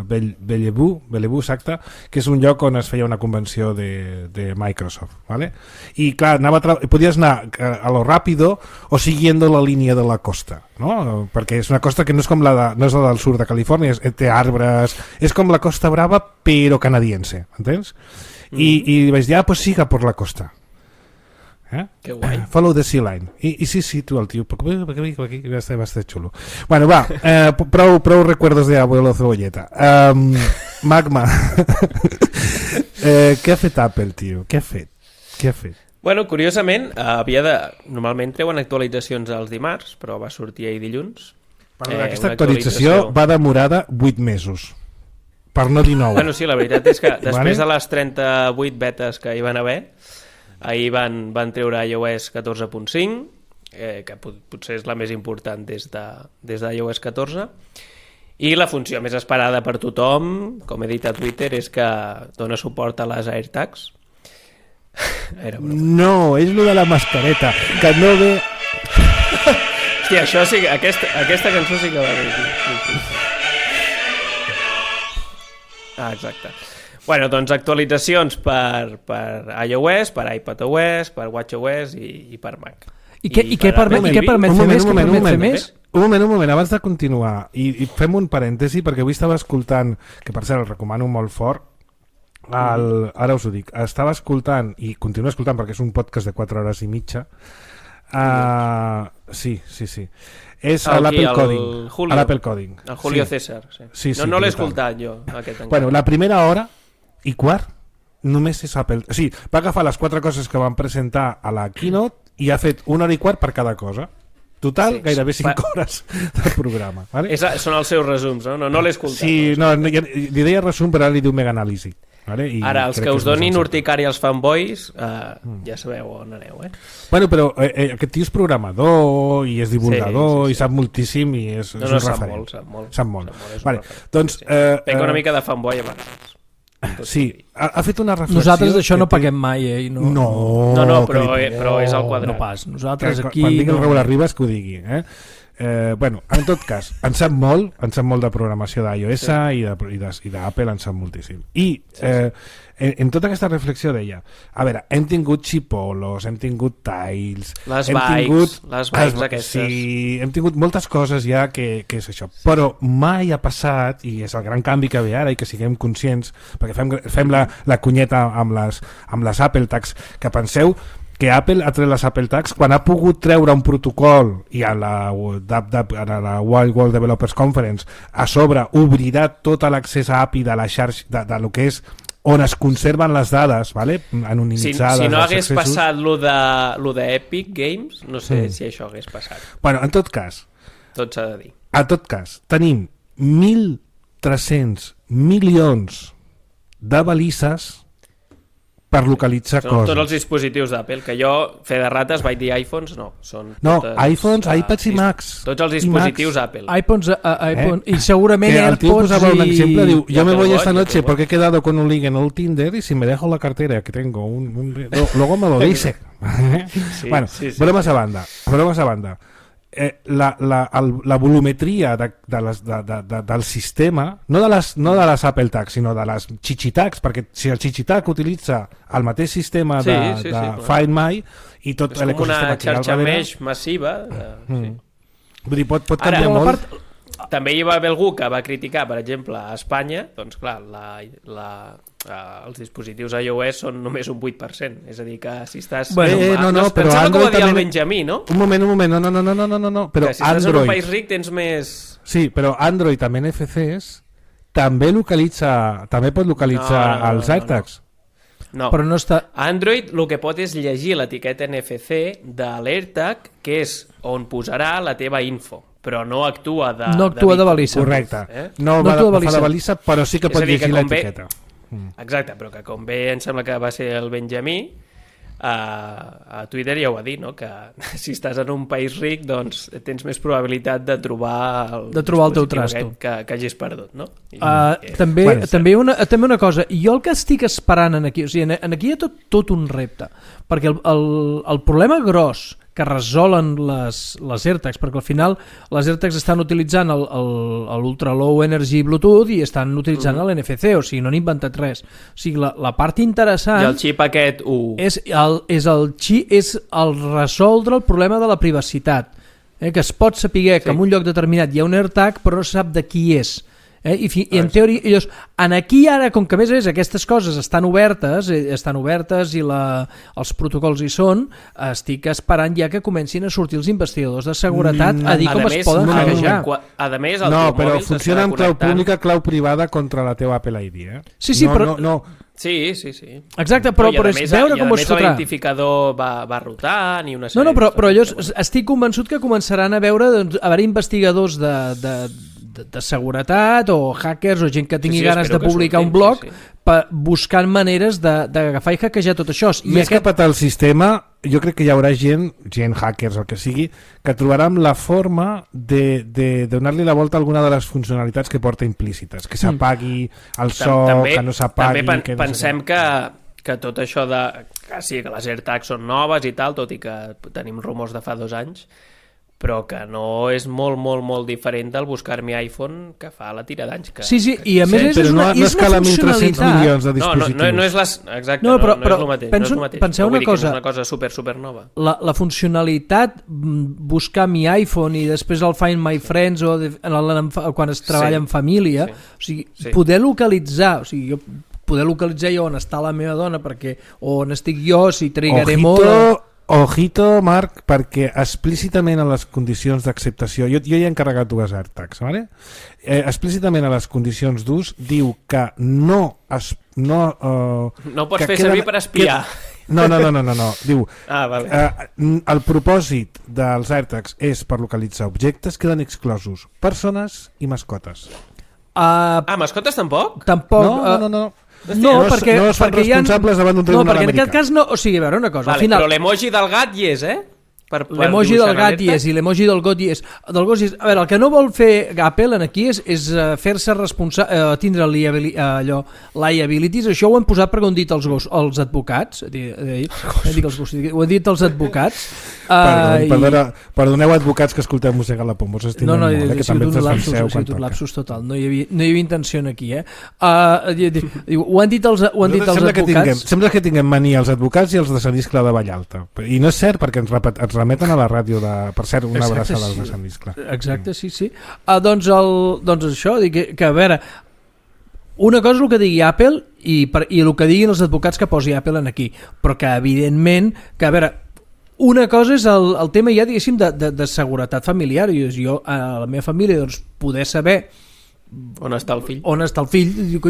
Bellevue, exacte, que és un lloc on es feia una convenció de Microsoft, ¿vale? I clar, podies anar a lo ràpido o siguiendo la línia de la costa, no? Perquè és una costa que no és com no és la del sud de Califòrnia, té arbres, és com la Costa Brava però canadiense, entens? I vaig dir, pues siga por la costa. Que guai. Follow the sea line. I sí, tu el tio, perquè va estar xulo. Bueno, va, prou recuerdos de abuelo cebolleta. Magma. Què ha fet Apple, tio? Què ha fet? Bueno, curiosament, normalment treuen actualitzacions els dimarts, però va sortir ahir dilluns. Aquesta actualització va demorada 8 mesos. Per no dir 9. Bueno, sí, la veritat és que després de les 38 betes que hi van haver, ahir van treure iOS 14.5, que potser és la més important des d'iOS 14, i la funció més esperada per tothom, com he dit a Twitter, és que dona suport a les AirTags. No, és lo de la mascareta, que no ve... Hòstia, això sí, aquesta cançó sí que va bé. Exacte. Bueno, doncs actualitzacions per iOS, per iPadOS, per WatchOS i per Mac. I què permet fer més? Un moment, abans de continuar, i fem un parèntesi, perquè avui estava escoltant, que per cert el recomano molt fort, ara us ho dic, estava escoltant, i continuo escoltant perquè és un podcast de 4 hores i mitja, sí. És l'Apple Coding. El Julio César. Sí, no l'he escoltat jo, aquest encara. Bueno, la primera hora i quart només és Apple. O sigui, va agafar les 4 coses que van presentar a la Keynote i ha fet 1 hora i quart per cada cosa. Total, gairebé 5 hores de programa. Vale? Són els seus resums, no? No l'he escoltat. Sí, li deia resum, però ara li diu mega anàlisi. Vale? Ara, els que us donin urticària als fanboys, ja sabeu on aneu, Bueno, però aquest tio és programador i és divulgador i sap moltíssim i és un referent. Sap molt. Vale, doncs... Pega una mica de fanboy a vegades. Sí, ha fet una reflexió... Nosaltres d'això no paguem mai, No, però és al quadrat. No pas, nosaltres aquí... Quan digui el Raül Arribas que ho digui, bueno, en tot cas, en sap molt de programació d'iOS i d'Apple, en sap moltíssim. I en tota aquesta reflexió deia, a veure, hem tingut xipolos, hem tingut tiles, les bikes aquestes. Sí, hem tingut moltes coses ja que és això, però mai ha passat, i és el gran canvi que ve ara i que siguem conscients, perquè fem la cunyeta amb les Apple Tags, que penseu que Apple ha tret les Apple Tags quan ha pogut treure un protocol i a la World Developers Conference a sobre obrirà tot l'accés a API de la xarxa de lo que és on es conserven les dades, ¿vale? Anonimitzades. Si no hagués passat lo de Epic Games, no sé si això hagués passat. Bueno, en tot cas, tot s'ha de dir. En tot cas, tenim 1.300 milions de balises per localitzar coses. Tots els dispositius d'Apple, que jo, fe de rates, vaig dir iPhones, no. iPhones, iPads i Macs. Tots els dispositius Apple. iPhone, y segurament AirPods. El tío posaba un ejemplo, diu, yo me voy esta noche porque he quedado con un link en el Tinder y si me dejo la cartera que tengo, luego me lo dice. Bueno, bromas a banda. la volumetria del sistema, no de les Apple Tags, sinó de les Chichitags, perquè si el Chichitag utilitza el mateix sistema de Find My i tot l'ecosistema... És com una xarxa mesh massiva. Vull dir, pot canviar molt. També hi va haver algú que va criticar, per exemple, a Espanya, doncs clar, els dispositius iOS són només un 8%, és a dir, que si estàs... No, però Android que ho va dir també... el Benjamí, no? Un moment, no, però que si estàs en un país ric tens més... Sí, però Android amb NFCs també pot localitzar els AirTags. No, però no està... Android el que pot és llegir l'etiqueta NFC de l'AirTag, que és on posarà la teva info, però no actua de... No actua de balissa. Correcte. No fa de balissa, però sí que pot llegir l'etiqueta. Exacte, però que com bé em sembla que va ser el Benjamí, a Twitter ja ho va dir, no? Que si estàs en un país ric doncs tens més probabilitat de trobar el teu trasto que hagis perdut, no? També una cosa, jo el que estic esperant aquí, o sigui, aquí hi ha tot un repte, perquè el problema gros que resolen les AirTags, perquè al final les AirTags estan utilitzant l'Ultra Low Energy Bluetooth i estan utilitzant l'NFC, o sigui, no han inventat res. O sigui, la part interessant... I el xip aquest és el resoldre el problema de la privacitat, que es pot saber que en un lloc determinat hi ha un AirTag però no se sap de qui és. I en teoria, llavors, aquí ara, com que a més aquestes coses estan obertes i els protocols hi són, estic esperant ja que comencin a sortir els investigadors de seguretat a dir com es poden hackejar. A més, no, però funciona amb clau pública, clau privada contra la teva Apple ID. Sí, però... Sí. Exacte, però és veure com es fotrà. L'identificador va rotant i una sèrie... No, però jo estic convençut que començaran a haver investigadors de seguretat o hackers o gent que tingui ganes de publicar un blog buscant maneres d'agafar i hackejar tot això. Més que petar el sistema, jo crec que hi haurà gent hackers o el que sigui, que trobaran la forma de donar-li la volta a alguna de les funcionalitats que porta implícites, que s'apagui el so, que no s'apagui... També pensem que tot això que sí, que les AirTags són noves i tal, tot i que tenim rumors de fa 2 anys, però que no és molt, molt, molt diferent del buscar mi iPhone que fa la tira d'anys. Sí, i a més és una funcionalitat. Milions de dispositius. No és exacte, no és el mateix. Penseu una cosa. És una cosa super nova. La funcionalitat, buscar mi iPhone i després el Find My Friends o quan es treballa en família, o sigui, poder localitzar, jo on està la meva dona, perquè on estic jo, si trigaré molt... Ojito, Marc, perquè explícitament a les condicions d'acceptació, jo hi he encarregat 2 AirTags, ¿vale? Explícitament a les condicions d'ús diu que no pots fer servir per espiar. No. Diu, vale. El propòsit dels AirTags és per localitzar objectes, queden exclosos persones i mascotes. Mascotes tampoc? Tampoc. No. Perquè no es fan responsables davant d'un tribunal americà. No, perquè en aquest cas no... O sigui, a veure una cosa. Vale, però l'emoji del gat hi és, L'emoji del gat hi és i l'emoji del gos hi és. A veure, el que no vol fer Apple aquí és fer-se responsable, tindre liabilities. Això ho han posat perquè ho han dit els advocats. Ho han dit els advocats. Perdoneu advocats que escolteu Mossega la Pombo, s'estimen molt, que també ens defenseu quan toca. Lapsus total, no hi havia intenció aquí. Ho han dit els advocats. Sembla que tinguem mania els advocats i els de Sant Iscle de Vallalta. I no és cert perquè ens remeten a la ràdio per cert, una abraçada als de Sant Iscle. Exacte, sí. Doncs això, que a veure, una cosa és el que digui Apple i el que diguin els advocats que posi Apple aquí, però que evidentment, que a veure, una cosa és el tema ja, diguéssim, de seguretat familiar. Jo a la meva família, doncs, poder saber on està el fill,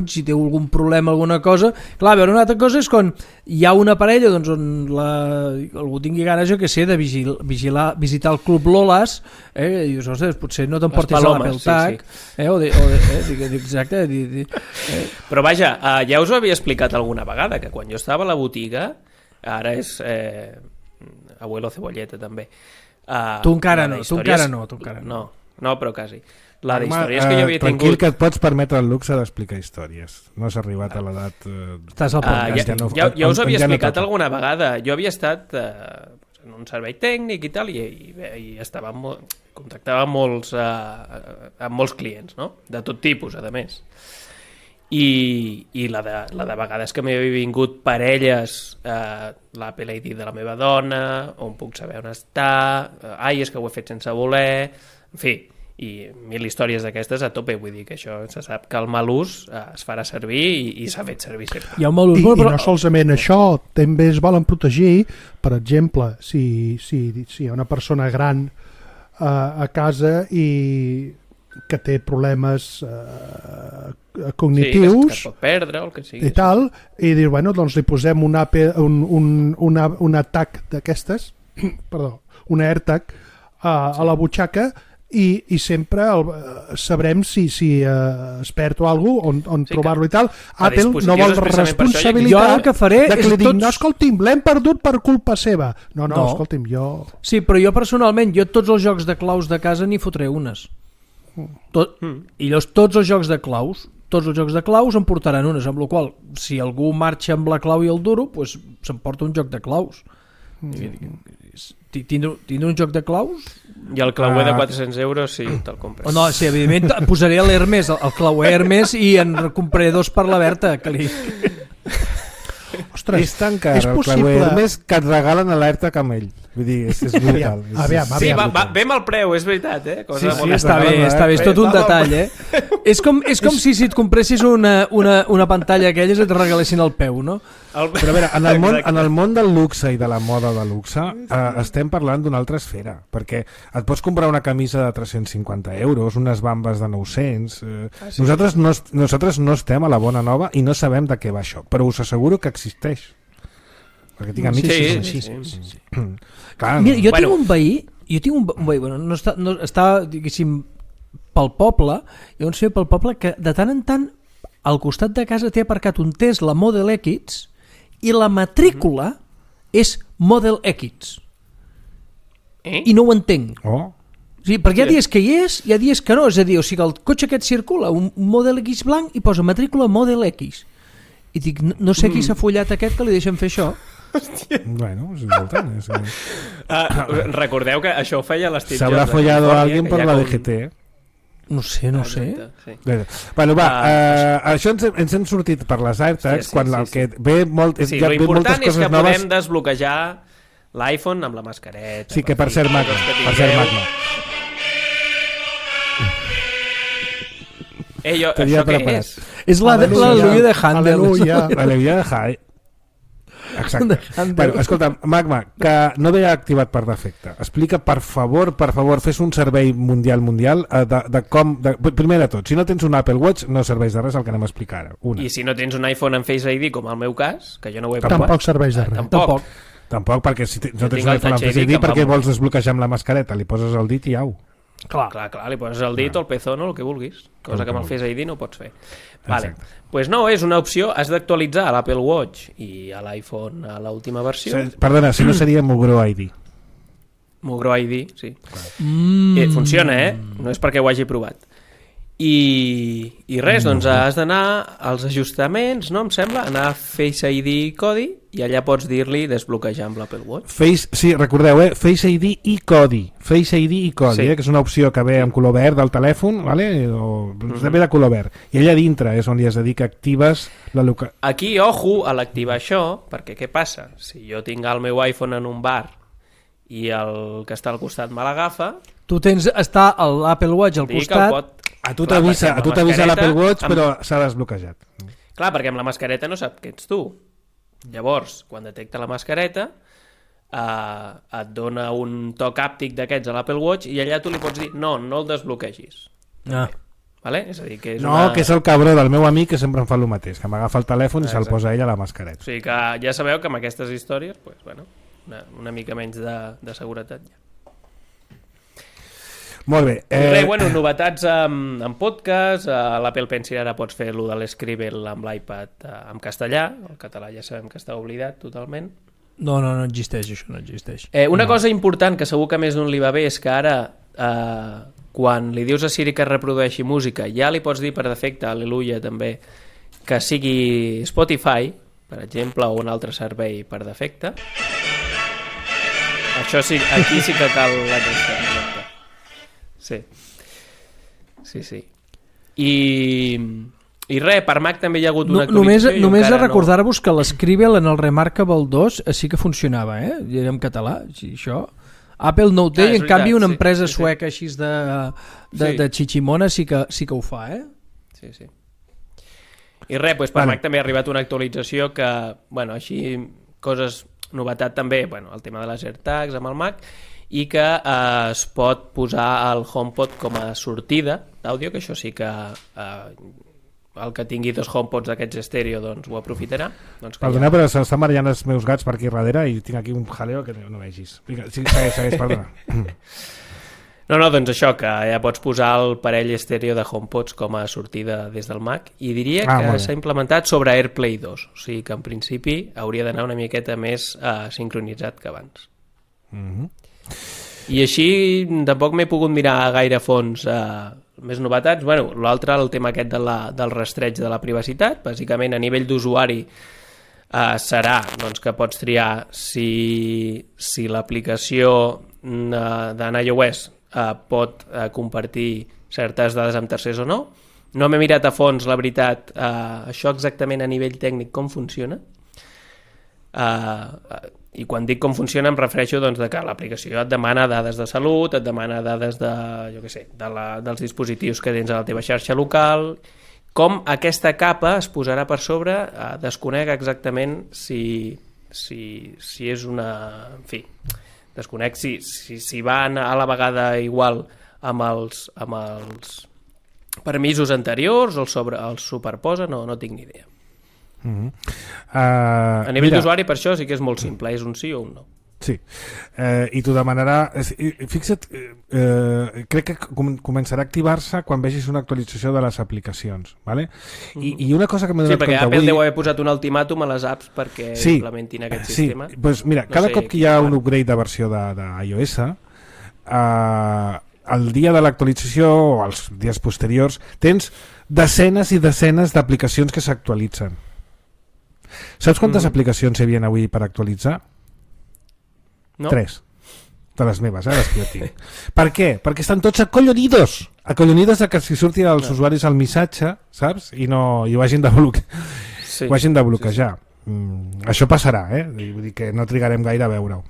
si té algun problema, alguna cosa. Clar, a veure, una altra cosa és quan hi ha una parella on algú tingui ganes, jo que sé, de visitar el Club Lolas, i dius, ostres, potser no t'emportis a l'Apple Tag, exacte. Però vaja, ja us ho havia explicat alguna vegada, que quan jo estava a la botiga, ara és abuelo cebolleta també, tu encara no. No, però quasi. La d'històries que jo havia tingut... Tranquil, que et pots permetre el luxe d'explicar històries. No has arribat a l'edat... Estàs al podcast. Ja us havia explicat alguna vegada. Jo havia estat un servei tècnic i tal, i contactava amb molts clients, no? De tot tipus, a més. I la de vegades que m'havia vingut parelles, l'Apple ID de la meva dona, on puc saber on està, és que ho he fet sense voler, en fi, i 1000 històries d'aquestes a tope. Vull dir que això se sap que el mal ús es farà servir i s'ha fet servir sempre. Hi ha un mal ús, però no solament això, també es volen protegir. Per exemple, si hi ha una persona gran a casa i que té problemes cognitius, que pot perdre o el que sigui, i tal, i dir, bueno, doncs li posem un AirTag d'aquestes, perdó, un AirTag a la butxaca, i sempre sabrem si es perd o alguna cosa, on trobar-lo i tal. Apple no vol responsabilitat que faré de que li dic, no, escolti'm, l'hem perdut per culpa seva. No, escolti'm, jo... Sí, però jo personalment, tots els jocs de claus de casa n'hi fotré unes. I llavors tots els jocs de claus en portaran unes, amb la qual si algú marxa amb la clau i el duro, pues s'emporta un joc de claus. Tindre un joc de claus? I el clauer de 400 euros, sí, te'l compres. No, sí, evidentment posaré l'Hermes, el clauer Hermes, i en compraré 2 per la Berta, que li... Ostres, és tan car el clauer Hermes que et regalen a l'Airtag amb ell. Vull dir, és brutal. Sí, ve amb el preu, és veritat, eh? Sí, està bé, és tot un detall, eh? És com si et compressis una pantalla aquelles i et regalessin el peu, no? Però a veure, en el món del luxe i de la moda de luxe estem parlant d'una altra esfera, perquè et pots comprar una camisa de 350 euros, unes bambes de 900... Nosaltres no estem a la bona nova i no sabem de què va això, però us asseguro que existeix. Perquè tinc amics que són així. Clar, mira, jo tinc un veí, bueno, està, diguéssim, pel poble, hi ha un senyor pel poble que de tant en tant al costat de casa té aparcat un Tesla Model X i la matrícula és Model X. I no ho entenc. Sí, perquè hi ha dies que hi és, hi ha dies que no, és a dir, o sigui, el cotxe aquest circula, un Model X blanc i posa matrícula Model X. I dic, no sé qui s'ha follat aquest que li deixen fer això. Hòstia. Bueno, és important. Recordeu que això ho feia l'Steve Jobs. S'haurà follado a algú per la DGT. No sé. Sí. Bueno, va, això ens hem sortit per les AirTags, quan el que ve molt... Sí, l'important és que podem desbloquejar l'iPhone amb la mascareta. Sí, que per ser Magma. Això què és? És l'al·leluia de Handel. L'al·leluia de Handel. Exacte. Bueno, escolta, Magma, que no ve activat per defecte. Explica, per favor, fes un servei mundial de com... Primer de tot, si no tens un Apple Watch no serveix de res el que anem a explicar ara. I si no tens un iPhone amb Face ID, com el meu cas, que jo no ho he provat... Tampoc serveix de res. Tampoc, perquè si no tens un iPhone amb Face ID, per què vols desbloquejar amb la mascareta? Li poses el dit i au. Clar, li poses el dit o el pezón o el que vulguis, cosa que amb el Face ID no pots fer. Vale. Pues no, és una opció, has d'actualitzar a l'Apple Watch i a l'iPhone a l'última versió. Perdona, si no seria Mugro ID. Mugro ID, sí. Funciona, no és perquè ho hagi provat. I res, doncs has d'anar als ajustaments, no em sembla, anar a Face ID codi i allà pots dir-li desbloquejar amb l'Apple Watch. Sí, recordeu, Face ID i codi. Face ID i codi, que és una opció que ve amb color verd del telèfon, vale? Ve de color verd. I allà dintre és on li has de dir que actives la localització. Aquí, ojo, a l'activar això, perquè què passa? Si jo tinc el meu iPhone en un bar i el que està al costat me l'agafa... Tu està l'Apple Watch al costat... A tu t'avisa l'Apple Watch, però s'ha desbloquejat. Clar, perquè amb la mascareta no sap que ets tu. Llavors, quan detecta la mascareta, et dona un toc àptic d'aquests a l'Apple Watch i allà tu li pots dir no el desbloquegis. Vale? És a dir, que és que és el cabró del meu amic que sempre em fa el mateix, que m'agafa el telèfon i se'l posa ell a la mascareta. O sigui que ja sabeu que amb aquestes històries, pues, bueno, una mica menys de seguretat ja. Molt bé. Novetats en podcast, a l'Apple Pencil ara pots fer-lo de l'Scribble amb l'iPad en castellà, el català ja sabem que està oblidat totalment. No existeix, això no existeix. Una cosa important que segur que més d'un li va bé és que ara quan li dius a Siri que reprodueixi música ja li pots dir per defecte, al·leluia també, que sigui Spotify, per exemple, o un altre servei per defecte. Això sí, aquí sí que cal la testa. Sí. Sí. I res, per Mac també hi ha hagut una actualització. Només a recordar-vos que l'Scribble en el Remarkable 2 sí que funcionava, i era en català, això. Apple no ho té, en canvi una empresa sueca així de xiximona sí que ho fa, Sí. I res, doncs per Mac també ha arribat una actualització que, bueno, així, novetat també, bueno, el tema de les AirTags amb el Mac, i que es pot posar el HomePod com a sortida d'àudio, que això sí que el que tingui dos HomePods d'aquests estèreo doncs ho aprofitarà. Perdona, però s'estan barallant els meus gats per aquí darrere i tinc aquí un jaleo que no vegis. Segueix, perdona. No, doncs això, que ja pots posar el parell estèreo de HomePods com a sortida des del Mac, i diria que s'ha implementat sobre AirPlay 2, o sigui que en principi hauria d'anar una miqueta més sincronitzat que abans. I així tampoc m'he pogut mirar gaire a fons més novetats. Bueno, l'altre, el tema aquest del rastreig de la privacitat, bàsicament a nivell d'usuari serà doncs, que pots triar si l'aplicació d'iOS pot compartir certes dades amb tercers o no. No m'he mirat a fons, la veritat, això exactament a nivell tècnic com funciona. I quan dic com funciona em refereixo doncs, de que l'aplicació et demana dades de salut, et demana dades dels dispositius que tens a la teva xarxa local. Com aquesta capa es posarà per sobre, desconec exactament si és una... En fi, desconec si va a la vegada igual amb els permisos anteriors o els superposa, no tinc ni idea. A nivell d'usuari, per això sí que és molt simple, és un sí o un no. Sí, i t'ho demanarà. Fixa't, crec que començarà a activar-se quan vegis una actualització de les aplicacions, vale? I una cosa que m'he donat compte avui... Sí, perquè Apple deu haver posat un ultimàtum a les apps perquè implementin aquest sistema. Sí, doncs mira, cada cop que hi ha un upgrade de versió d'iOS, el dia de l'actualització o els dies posteriors tens desenes i desenes d'aplicacions que s'actualitzen. Saps quantes aplicacions hi havia avui per actualitzar? No. 3 de les meves, les que jo tinc. Per què? Perquè estan tots acollonidos de que si surtin els usuaris al missatge, saps? I ho hagin de bloquejar. Això passarà, vull dir que no trigarem gaire a veure-ho.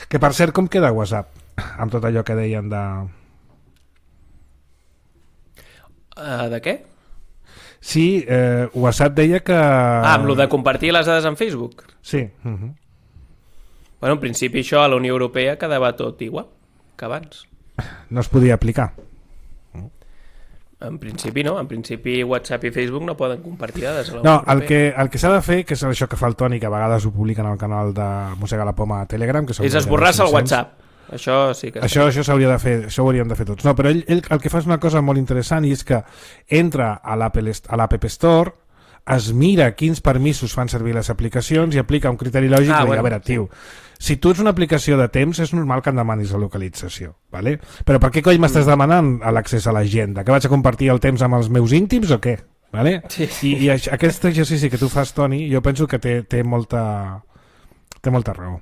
Que per cert, com queda WhatsApp amb tot allò que deien de... De què? Sí, WhatsApp deia que... amb lo de compartir les dades en Facebook? Sí. Bueno, en principi això a la Unió Europea quedava tot igual que abans. No es podia aplicar? En principi no, en principi WhatsApp i Facebook no poden compartir dades a la Unió Europea. El que s'ha de fer, que és això que fa el Toni, que a vegades ho publiquen al canal de Mossega la Poma a Telegram, que és esborrar-se el WhatsApp. Això sí que... Això s'hauria de fer, això ho hauríem de fer tots. No, però ell el que fa és una cosa molt interessant, i és que entra a l'App Store, es mira quins permisos fan servir les aplicacions i aplica un criteri lògic de dir, a veure, tio, si tu ets una aplicació de temps és normal que em demanis la localització, ¿vale? Però per què coll m'estàs demanant l'accés a l'agenda? Que vaig a compartir el temps amb els meus íntims o què? ¿Vale? Sí. I aquest exercici que tu fas, Toni, jo penso que té molta raó.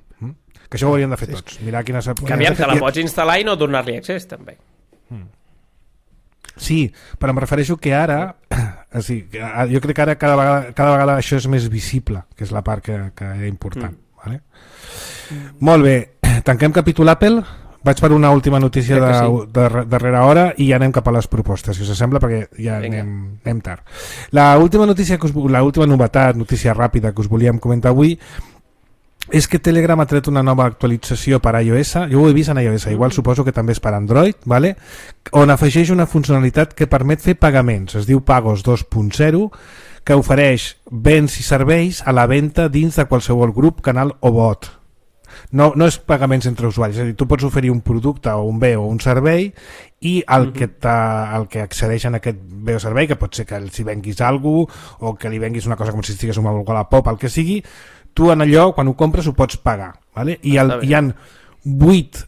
Que això ho hauríem de fer tots. Mirar quines... Que aviam, te la pots instal·lar i no donar-li accés, també. Sí, però em refereixo que ara... jo crec que ara cada vegada això és més visible, que és la part que era important. Vale? Molt bé. Tanquem capítol Apple. Vaig per una última notícia de darrera hora i ja anem cap a les propostes, si us sembla, perquè ja anem tard. L'última novetat, notícia ràpida que us volíem comentar avui, és que Telegram ha tret una nova actualització per iOS. Jo ho he vist en iOS, igual suposo que també és per Android, ¿vale? On afegeix una funcionalitat que permet fer pagaments, es diu Pagos 2.0, que ofereix béns i serveis a la venda dins de qualsevol grup, canal o bot. No és pagaments entre usuaris, és a dir, tu pots oferir un producte o un bé o un servei i el que accedeix en aquest bé o servei, que pot ser que els hi venguis alguna cosa o que li venguis una cosa com si estigués amb el Wallapop, el que sigui, tu en allò, quan ho compres, ho pots pagar, ¿vale? Hi ha 8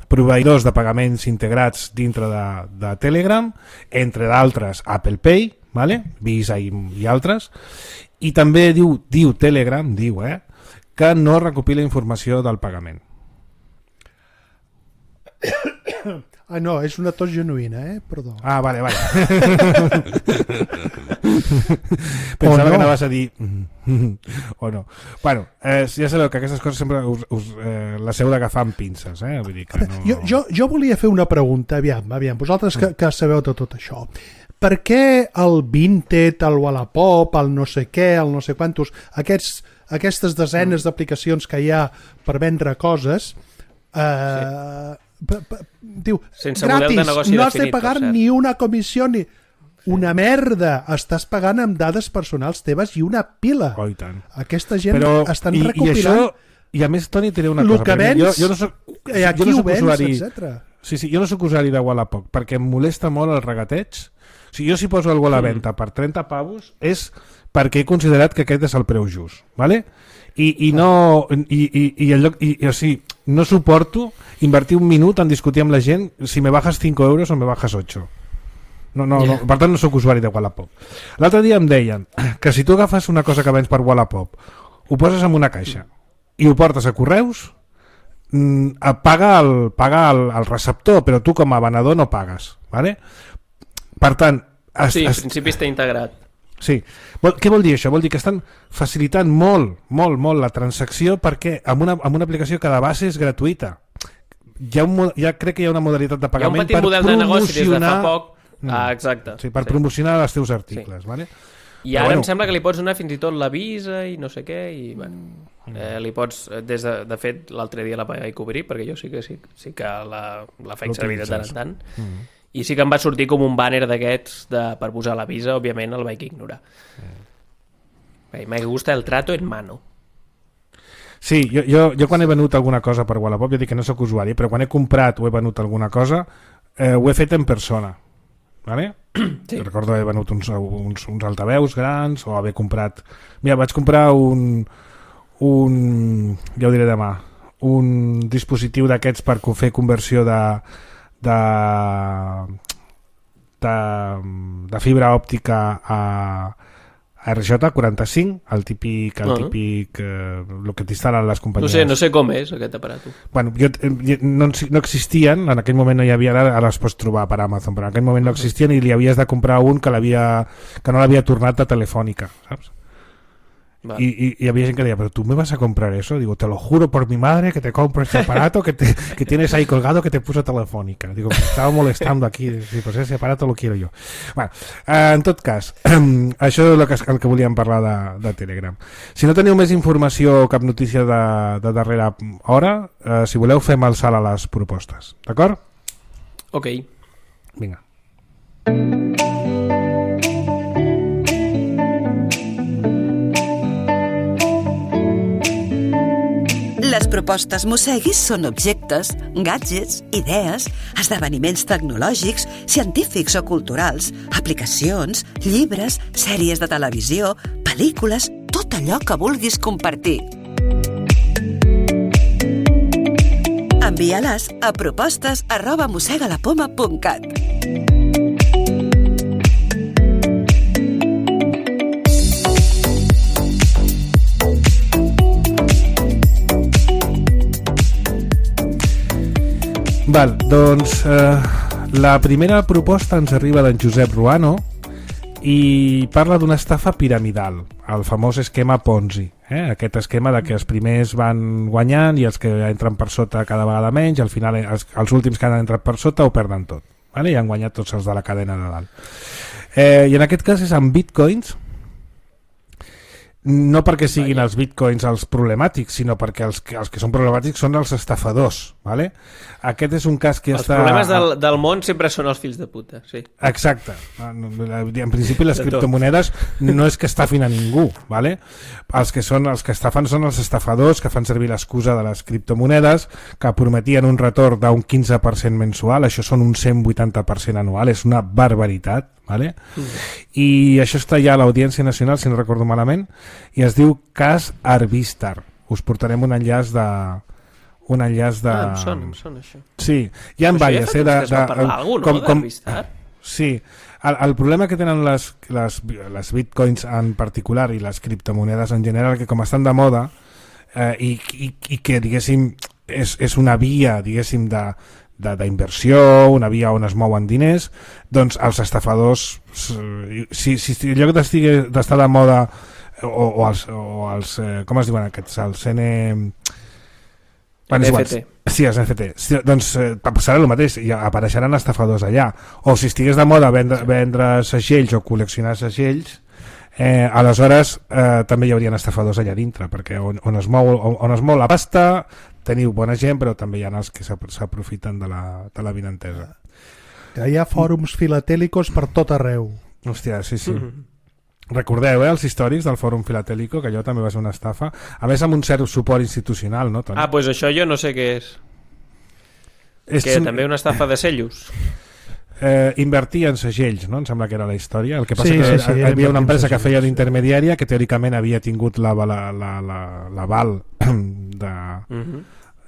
proveïdors de pagaments integrats dintre de Telegram, entre d'altres Apple Pay, ¿vale? Visa i altres, i també diu Telegram, que no recopila informació del pagament. Ah, no, és una tos genuïna, perdó. Ah, vale. Pensava que anaves a dir o no. Bueno, ja sabeu que aquestes coses sempre les heu d'agafar amb pinces, Vull dir que no... Jo volia fer una pregunta, aviam, vosaltres que sabeu de tot això. Per què el Vinted, el Wallapop, el no sé què, el no sé quantos, aquestes desenes d'aplicacions que hi ha per vendre coses, diu, sense model de negoci no definit, has de pagar ni una comissió ni... Una merda! Estàs pagant amb dades personals teves i una pila. Oh, i tant. Aquesta gent estan recopilant... I a més, Toni, diré una cosa. El que vens, jo no soc usuari, etc. Sí, jo no soc usuari de Wallapop perquè em molesta molt el regateig. O sigui, jo si poso algú a la venda per 30 pavos és perquè he considerat que aquest és el preu just, ¿vale? I no suporto invertir un minut en discutir amb la gent si me bajas 5 euros o me bajas 8. No, per tant no sóc usuari de Wallapop. L'altre dia em deien que si tu agafes una cosa que vens per Wallapop, ho poses en una caixa i ho portes a correus, paga el receptor, però tu com a venedor no pagues, ¿vale? Per tant... Sí, en principi està integrat. Sí. Què vol dir això? Vol dir que estan facilitant molt la transacció perquè amb una aplicació que de base és gratuïta. Ja crec que hi ha una modalitat de pagament per promocionar... Hi ha un petit model de negoci des de fa poc. Exacte. Sí, per promocionar els teus articles, sí. Vale? I ara em sembla que li pots donar fins i tot la Visa i no sé què, i li pots, de fet, l'altre dia la vaig cobrir, perquè jo sí que la faig servir de tant en tant, i sí que em va sortir com un banner d'aquests per posar la Visa, òbviament el vaig ignorar. Me gusta el trato en mano. Sí, jo quan he venut alguna cosa per Wallapop, jo dic que no soc usuari, però quan he comprat o he venut alguna cosa, ho he fet en persona. Vale? Sí. Recordo haver venut uns altaveus grans o haver comprat... Mira, vaig comprar ja ho diré demà, un dispositiu d'aquests per fer conversió de fibra òptica a RJ45, el típic el que t'instal·len les companyies. No sé com és aquest aparat. Bueno, no existien, en aquell moment no hi havia, ara es pots trobar per Amazon, però en aquell moment no existien i li havies de comprar un que no l'havia tornat de Telefònica, saps? Vale. Y había gente que decía, pero tú me vas a comprar eso. Digo, te lo juro por mi madre que te compro este aparato que tienes ahí colgado que te puso Telefónica. Digo, me estaba molestando aquí. Sí, pues ese aparato lo quiero yo. Bueno, en tot cas, això és el que volíem parlar de Telegram. Si no teniu més informació o cap notícia de darrera hora, si voleu fem el salt a les propostes. D'acord? Ok. Vinga. Les propostes Mosseguis són objectes, gadgets, idees, esdeveniments tecnològics, científics o culturals, aplicacions, llibres, sèries de televisió, pel·lícules, tot allò que vulguis compartir. Envia-les a propostes@mossegalapoma.cat. Val, doncs la primera proposta ens arriba d'en Josep Ruano i parla d'una estafa piramidal, el famós esquema Ponzi, aquest esquema de que els primers van guanyant i els que entren per sota cada vegada menys, al final els últims que han entrat per sota ho perden tot, vale? I han guanyat tots els de la cadena de dalt. I en aquest cas és amb bitcoins, no perquè siguin els bitcoins els problemàtics, sinó perquè els que són problemàtics són els estafadors, ¿vale? Aquest és un cas que els problemes del món sempre són els fills de puta, sí. Exacte. En principi les criptomonedes no és que estafin a ningú, ¿vale? Els que estafen són els estafadors que fan servir l'excusa de les criptomonedes, que prometien un retorn d'un 15% mensual, això són un 180% anual, és una barbaritat, ¿vale? I això està ja a l'Audiència Nacional, si no recordo malament, i es diu cas Arbistar. Us portarem un enllaç de... em sona això. Sí, hi ha diverses. Això ja fa parlar algú, no? D'Arbistar? Sí, el problema que tenen les bitcoins en particular i les criptomonedes en general, que com estan de moda i que, diguéssim, és una via, diguéssim, d'inversió, una via on es mouen diners, doncs els estafadors, si en lloc d'estar de moda o els com es diuen aquests, els NFT. Sí, els NFT. Doncs serà el mateix, i apareixeran estafadors allà. O si estigués de moda vendre segells o col·leccionar segells, aleshores també hi haurien estafadors allà dintre, perquè on es mou la pasta teniu bona gent, però també hi ha els que s'aprofiten de la vinentesa. Hi ha fòrums filatèlicos per tot arreu. Hòstia, sí. Recordeu, els històrics del Fòrum Filatèlico, que allò també va ser una estafa, a més amb un cert suport institucional, no, Toni? Doncs això jo no sé què és. Que també una estafa de sellos. Invertir en segells, no? Em sembla que era la història. El que passa que hi havia una empresa que feia d'intermediària que teòricament havia tingut l'aval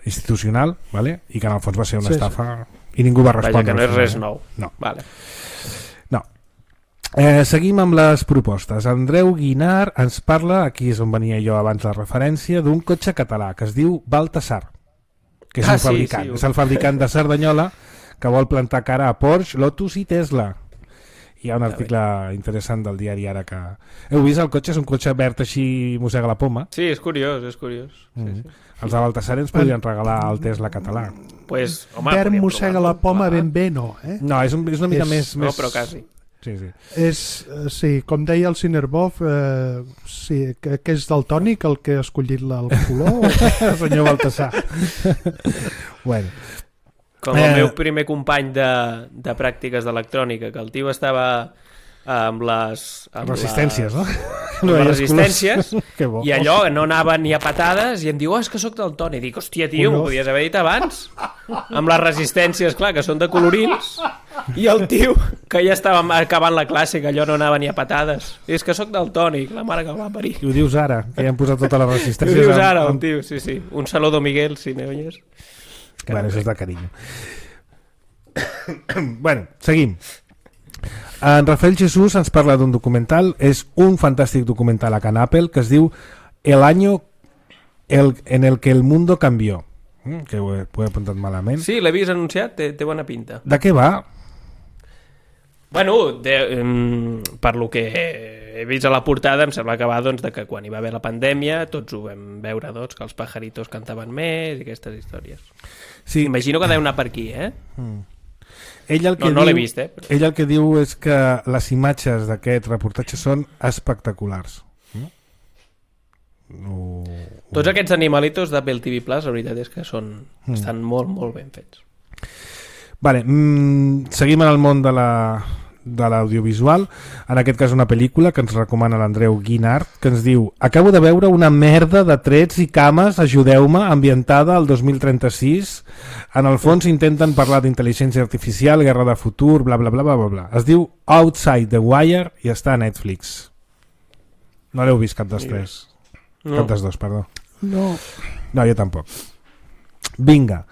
institucional, ¿vale? I que en el fons va ser una estafa i ningú va respondre. Vaja, que no és res nou. No. Vale. Seguim amb les propostes. Andreu Guinart ens parla, aquí és on venia jo abans la referència, d'un cotxe català que es diu Baltasar, que és un fabricant. És el fabricant de Cerdanyola que vol plantar cara a Porsche, Lotus i Tesla. Hi ha un article interessant del diari Ara que... Heu vist el cotxe? És un cotxe verd així, mossega la poma. Sí, és curiós. Sí. Els de Baltasar ens podrien regalar el Tesla català. Pues, home, verd mossega la poma ben bé, no? No, és una mica més... No, però quasi. Sí. Com deia el Cinerbov, que és daltònic el que ha escollit el color. El senyor Baltasar. Bueno. Com el meu primer company de pràctiques d'electrònica, que el tio estava amb les resistències, no? Amb les resistències, i allò no anava ni a patades, i em diu, és que sóc daltònic. Dic, hòstia, tio, m'ho podies haver dit abans. Amb les resistències, clar, que són de colorins, i el tio, que ja estava acabant la classe, que allò no anava ni a patades. És que sóc daltònic, la mare que el va parir. I ho dius ara, que ja han posat totes les resistències. Ho dius ara, el tio, sí. Un saludo, Miguel, si me oyes. Bueno, això és de carinyo. Bueno, seguim. En Rafael Jesús ens parla d'un documental, és un fantàstic documental a Can Apple que es diu El año en el que el mundo cambió, que ho he apuntat malament. Sí, l'he vist anunciat, té bona pinta. De què va? Bueno, per lo que he vist a la portada em sembla que va de que quan hi va haver la pandèmia tots ho vam veure, que els pajaritos cantaven més i aquestes històries. Sí. Imagino que deu anar per aquí, Ell el que no l'he vist, però... Ell el que diu és que les imatges d'aquest reportatge són espectaculars. Tots aquests animalitos d'Apple TV Plus, la veritat és que estan molt, molt ben fets. Vale, seguim en el món de l'audiovisual, en aquest cas una pel·lícula que ens recomana l'Andreu Guinart, que ens diu: acabo de veure una merda de trets i cames, ajudeu-me, ambientada al 2036. En el fons intenten parlar d'intel·ligència artificial, guerra de futur, bla bla bla bla bla. Es diu Outside the Wire i està a Netflix. No l'heu vist cap dels tres? No. Cap dels dos, perdó. No, jo tampoc. Vinga.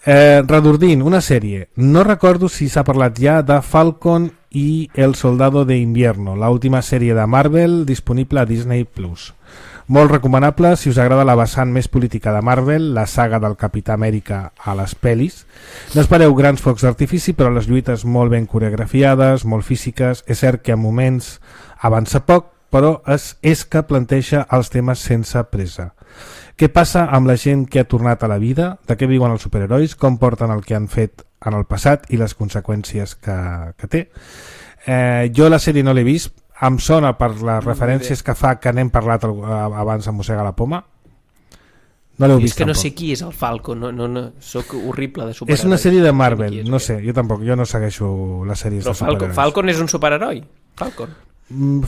Redordint, una sèrie. No recordo si s'ha parlat ja de Falcon y El Soldado de Invierno, la última sèrie de Marvel disponible a Disney+. Molt recomanable si us agrada la vessant més política de Marvel, la saga del Capità Amèrica a les pel·lis. No espereu grans focs d'artifici, però les lluites molt ben coreografiades, molt físiques. És cert que a moments avança poc, però és que planteja els temes sense pressa. Què passa amb la gent que ha tornat a la vida? De què viuen els superherois? Com porten el que han fet en el passat i les conseqüències que té? Jo la sèrie no l'he vist. Em sona per les referències que fa, que n'hem parlat abans a Mossega la Poma. No l'heu vist, és que tampoc. No sé qui és el Falcon, no, soc horrible de superherois. És una sèrie de Marvel, no sé, jo tampoc, jo no segueixo les sèries de superherois. Falcon és un superheroi?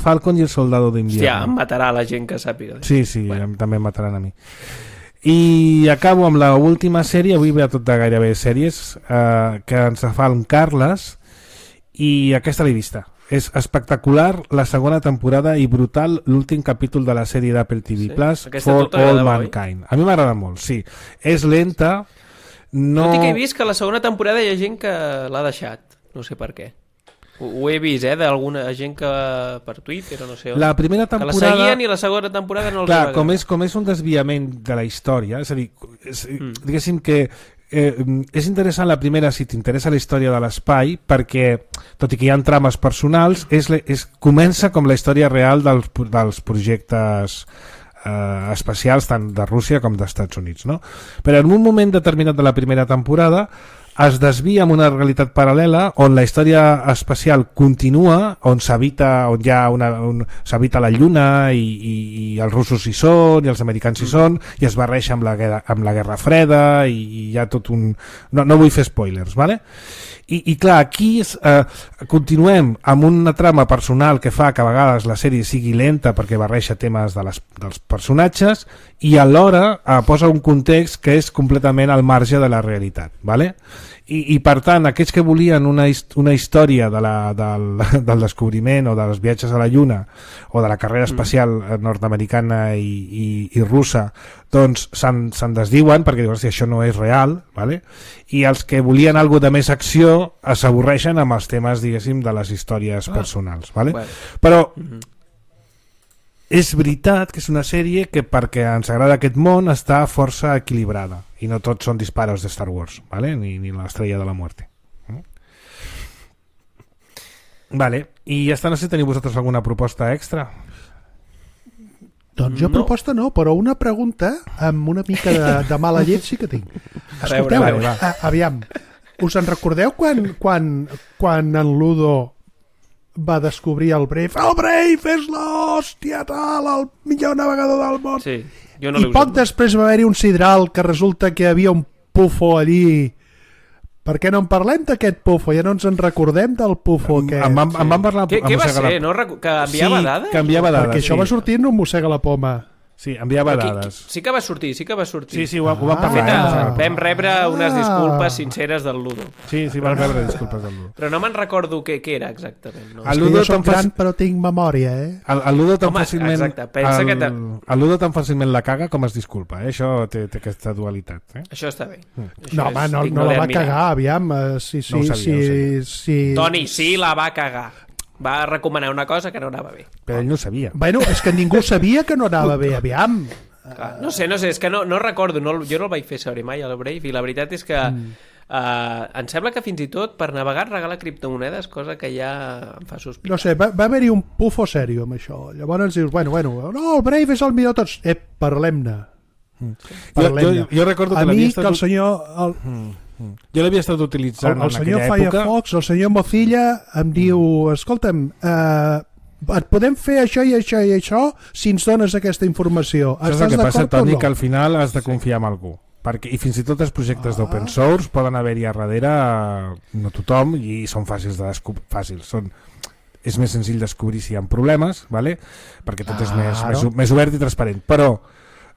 Falcon i el Soldado d'Invierno. Hòstia, em matarà la gent que sàpiga. Sí, bueno. També em mataran a mi. I acabo amb l'última sèrie, avui ve a tot de gairebé sèries, que ens fa el Carles, i aquesta l'he vista. És espectacular la segona temporada i brutal l'últim capítol de la sèrie d'Apple TV Plus, For All Mankind. A mi m'agrada molt, sí. És lenta, no... Tot i que he vist que la segona temporada hi ha gent que l'ha deixat, no sé per què. Ho he vist, d'alguna gent que per Twitter o no sé on. La primera temporada... Que la seguien i la segona temporada no els va agradar. Com és un desviament de la història, és a dir, diguéssim que és interessant la primera si t'interessa la història de l'espai, perquè tot i que hi ha trames personals comença com la història real dels projectes espacials tant de Rússia com dels Estats Units, no? Però en un moment determinat de la primera temporada es desvia en una realitat paral·lela on la història espacial continua, on s'habita la Lluna i els russos hi són i els americans hi són, i es barreja amb la Guerra Freda i hi ha tot un... No vull fer spoilers, ¿vale? I clar, aquí continuem amb una trama personal que fa que a vegades la sèrie sigui lenta perquè barreja temes dels personatges i alhora posa un context que és completament al marge de la realitat, ¿vale? I per tant, aquells que volien una història del descobriment o dels viatges a la Lluna o de la carrera espacial nord-americana i russa, doncs se'n desdiuen perquè diuen, això no és real, ¿vale? I els que volien alguna de més acció s'avorreixen amb els temes, diguéssim, de les històries personals, ¿vale? Però és veritat que és una sèrie que perquè ens agrada aquest món està força equilibrada i no tots són disparos de Star Wars, ¿vale? ni l'estrella de la muerte. Vale. I ja està, no sé si teniu vosaltres alguna proposta extra. Doncs jo proposta no, però una pregunta amb una mica de mala llet sí que tinc. Escolteu, aviam, us en recordeu quan en Ludo va descobrir el Brave? El Brave és l'hòstia tal, el millor navegador del món. Sí, jo no l'he usat. I poc després va haver-hi un sidral que resulta que hi havia un pufo allí. Per què no en parlem d'aquest pufo? Ja no ens en recordem del pufo aquest. Em van parlar... Què va ser? No? Que enviava dades? Sí, que enviava dades. Perquè això va sortir en un mossega la poma. Sí, enviava dades. Sí que va sortir. Sí, ho van parlar. Vam rebre unes disculpes sinceres del Ludo. Sí, van rebre disculpes del Ludo. Però no me'n recordo què era exactament. No? El Ludo jo soc gran però tinc memòria, eh? El Ludo tan fàcilment... Exacte, pensa que... El Ludo tan fàcilment la caga com es disculpa, eh? Això té aquesta dualitat. Eh? Això està bé. No, home, no la va cagar, aviam. Sí. Toni, sí la va cagar. Va recomanar una cosa que no anava bé. Però ell no sabia. Bueno, és que ningú sabia que no anava bé, aviam. No sé, és que no recordo, jo no el vaig fer saber mai al Brave i la veritat és que em sembla que fins i tot per navegar regala criptomonedes, cosa que ja em fa sospitar. No sé, va haver-hi un pufo sèrio amb això. Llavors dius, bueno, no, el Brave és el millor tots. Parlem-ne. Jo recordo que l'havia estat... el senyor... Jo l'havia estat utilitzant en aquella època. El senyor Firefox, el senyor Mozilla em diu, escolta'm, et podem fer això i això i això si ens dones aquesta informació. Això és el que passa, Toni, que al final has de confiar en algú. I fins i tot els projectes d'open source poden haver-hi a darrere no tothom i són fàcils de descobrir. És més senzill descobrir si hi ha problemes, ¿vale? Perquè tot és més obert i transparent. Però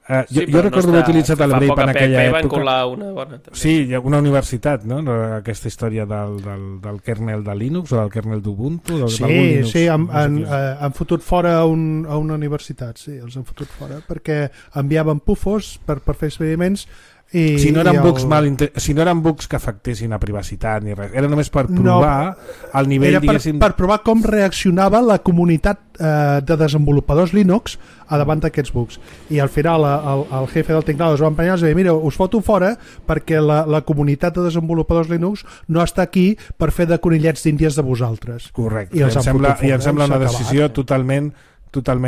jo recordo haver utilitzat el Brave en aquella època. Una bona, sí, una universitat, no? Aquesta història del kernel de Linux o del kernel d'Ubuntu. Sí, han fotut fora a una universitat, sí, els han fotut fora perquè enviaven pufos per fer experiments. Si no eren bugs que afectessin a privacitat ni res, era només per provar el nivell, diguéssim... per provar com reaccionava la comunitat de desenvolupadors Linux davant d'aquests bugs, i al final el jefe del teclado es va emprenyar i va dir, mira, us foto fora perquè la comunitat de desenvolupadors Linux no està aquí per fer de conillets d'índies de vosaltres. Correcte, i em sembla una decisió totalment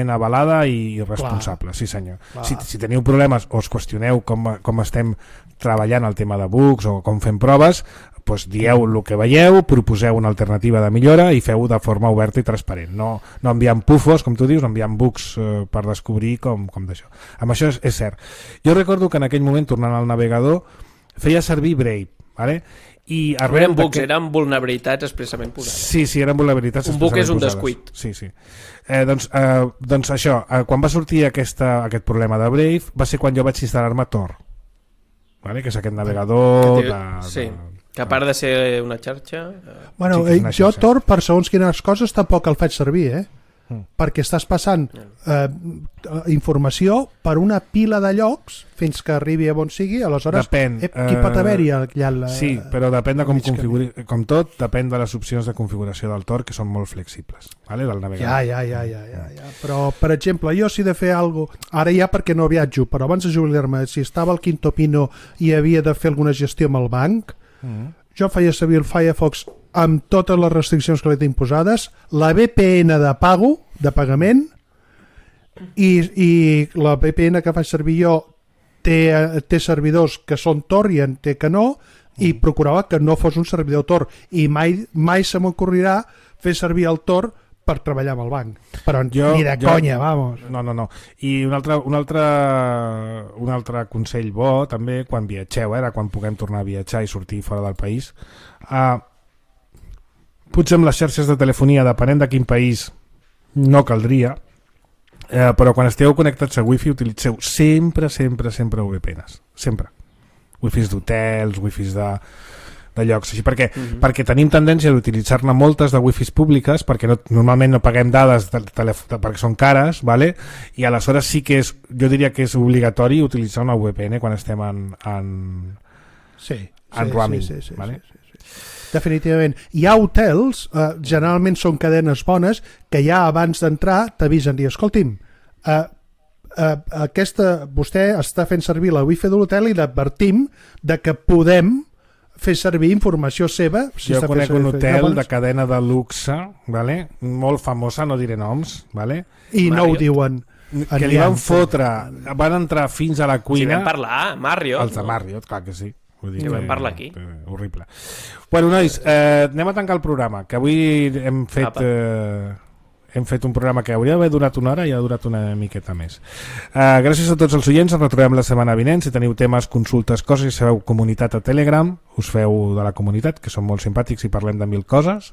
avalada i responsable. Clar. Sí senyor. Si teniu problemes o us qüestioneu com estem treballant el tema de bugs o com fem proves, doncs dieu el que veieu, proposeu una alternativa de millora i feu-ho de forma oberta i transparent. No enviant pufos, com tu dius, no enviant bugs per descobrir com d'això. Amb això és cert. Jo recordo que en aquell moment, tornant al navegador, feia servir Brave, ¿vale? I eren bugs, eren vulnerabilitats expressament posades. Sí, eren vulnerabilitats expressament posades. Un bug és un descuit. Sí. Doncs això, quan va sortir aquest problema de Brave, va ser quan jo vaig instal·lar-me Tor, ¿vale? Que és aquest navegador que a part de ser una xarxa... Bueno, jo Tor, per segons quines coses, tampoc el faig servir, eh? perquè estàs passant informació per una pila de llocs fins que arribi a on sigui, aleshores depèn, qui pot haver-hi allà sí, però depèn de com configuri, com tot, depèn de les opcions de configuració del Tor, que són molt flexibles, vale? Del navegador. Ja. Però, per exemple, jo si he de fer alguna cosa, ara ja perquè no viatjo, però abans de jubilar-me, si estava al Quinto Pino i havia de fer alguna gestió amb el banc, jo feia servir el Firefox amb totes les restriccions que li tinc posades, la VPN de pagament, i la VPN que faig servir jo té servidors que són Tor i en té que no, i procurava que no fos un servidor Tor, i mai se m'ocorrirà fer servir el Tor per treballar amb el banc, però ni de conya, vamos. No. I un altre consell bo també quan viatgeu, ara quan puguem tornar a viatjar i sortir fora del país, potser amb les xarxes de telefonia, depenent de quin país, no caldria, però quan esteu connectats a Wi-Fi utilitzeu sempre VPNs, sempre. Wi-Fis d'hotels, Wi-Fis de llocs, així perquè tenim tendència d'utilitzar-ne moltes de Wi-Fis públiques perquè normalment no paguem dades perquè són cares, vale? I aleshores sí que jo diria que és obligatori utilitzar una VPN quan estem en roaming. Sí. Definitivament. Hi ha hotels, generalment són cadenes bones, que ja abans d'entrar t'avisen i escolti'm, vostè està fent servir la wifi de l'hotel i l'advertim de que podem fer servir informació seva. Jo conec un hotel de cadena de luxe, vale? Molt famosa, no diré noms, vale? I no ho diuen. Que li van fotre, van entrar fins a la cuina. Si vam parlar, Marriott. Els de Marriott, clar que sí. Que vam parlar aquí. Horrible. Bueno, nois, anem a tancar el programa, que avui hem fet un programa que hauria d'haver durat una hora i ha durat una miqueta més. Gràcies a tots els oients, ens retrobem la setmana vinent. Si teniu temes, consultes, coses, si sabeu comunitat a Telegram, us feu de la comunitat, que són molt simpàtics i parlem de 1000 coses,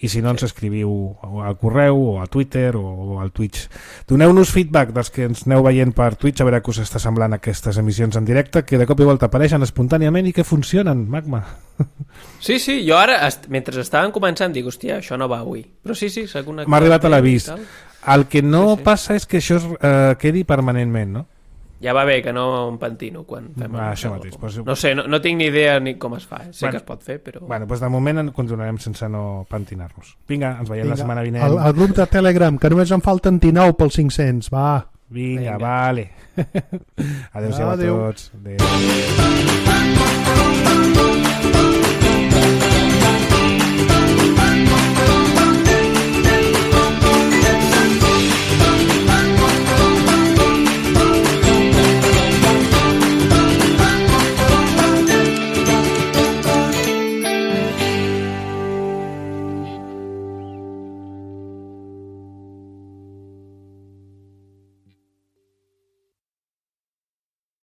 i si no ens escriviu al correu o a Twitter o al Twitch. Doneu-nos feedback dels que ens aneu veient per Twitch, a veure què us està semblant aquestes emissions en directe, que de cop i volta apareixen espontàniament i que funcionen, Magma. Sí, jo ara, mentre estaven començant, dic, hòstia, això no va avui. Però sí, s'ha connectat. M'ha arribat a l'avís. El que no passa és que això quedi permanentment, no? Ja va bé, que no em pentino quan fem això mateix. No sé, no tinc ni idea ni com es fa. Sé que es pot fer, però... Bueno, doncs de moment continuarem sense no pentinar-nos. Vinga, ens veiem la setmana vinent. El grup de Telegram, que només en falten 19 pels 500, va. Vinga, vale. Adéu-siau a tots. Adéu.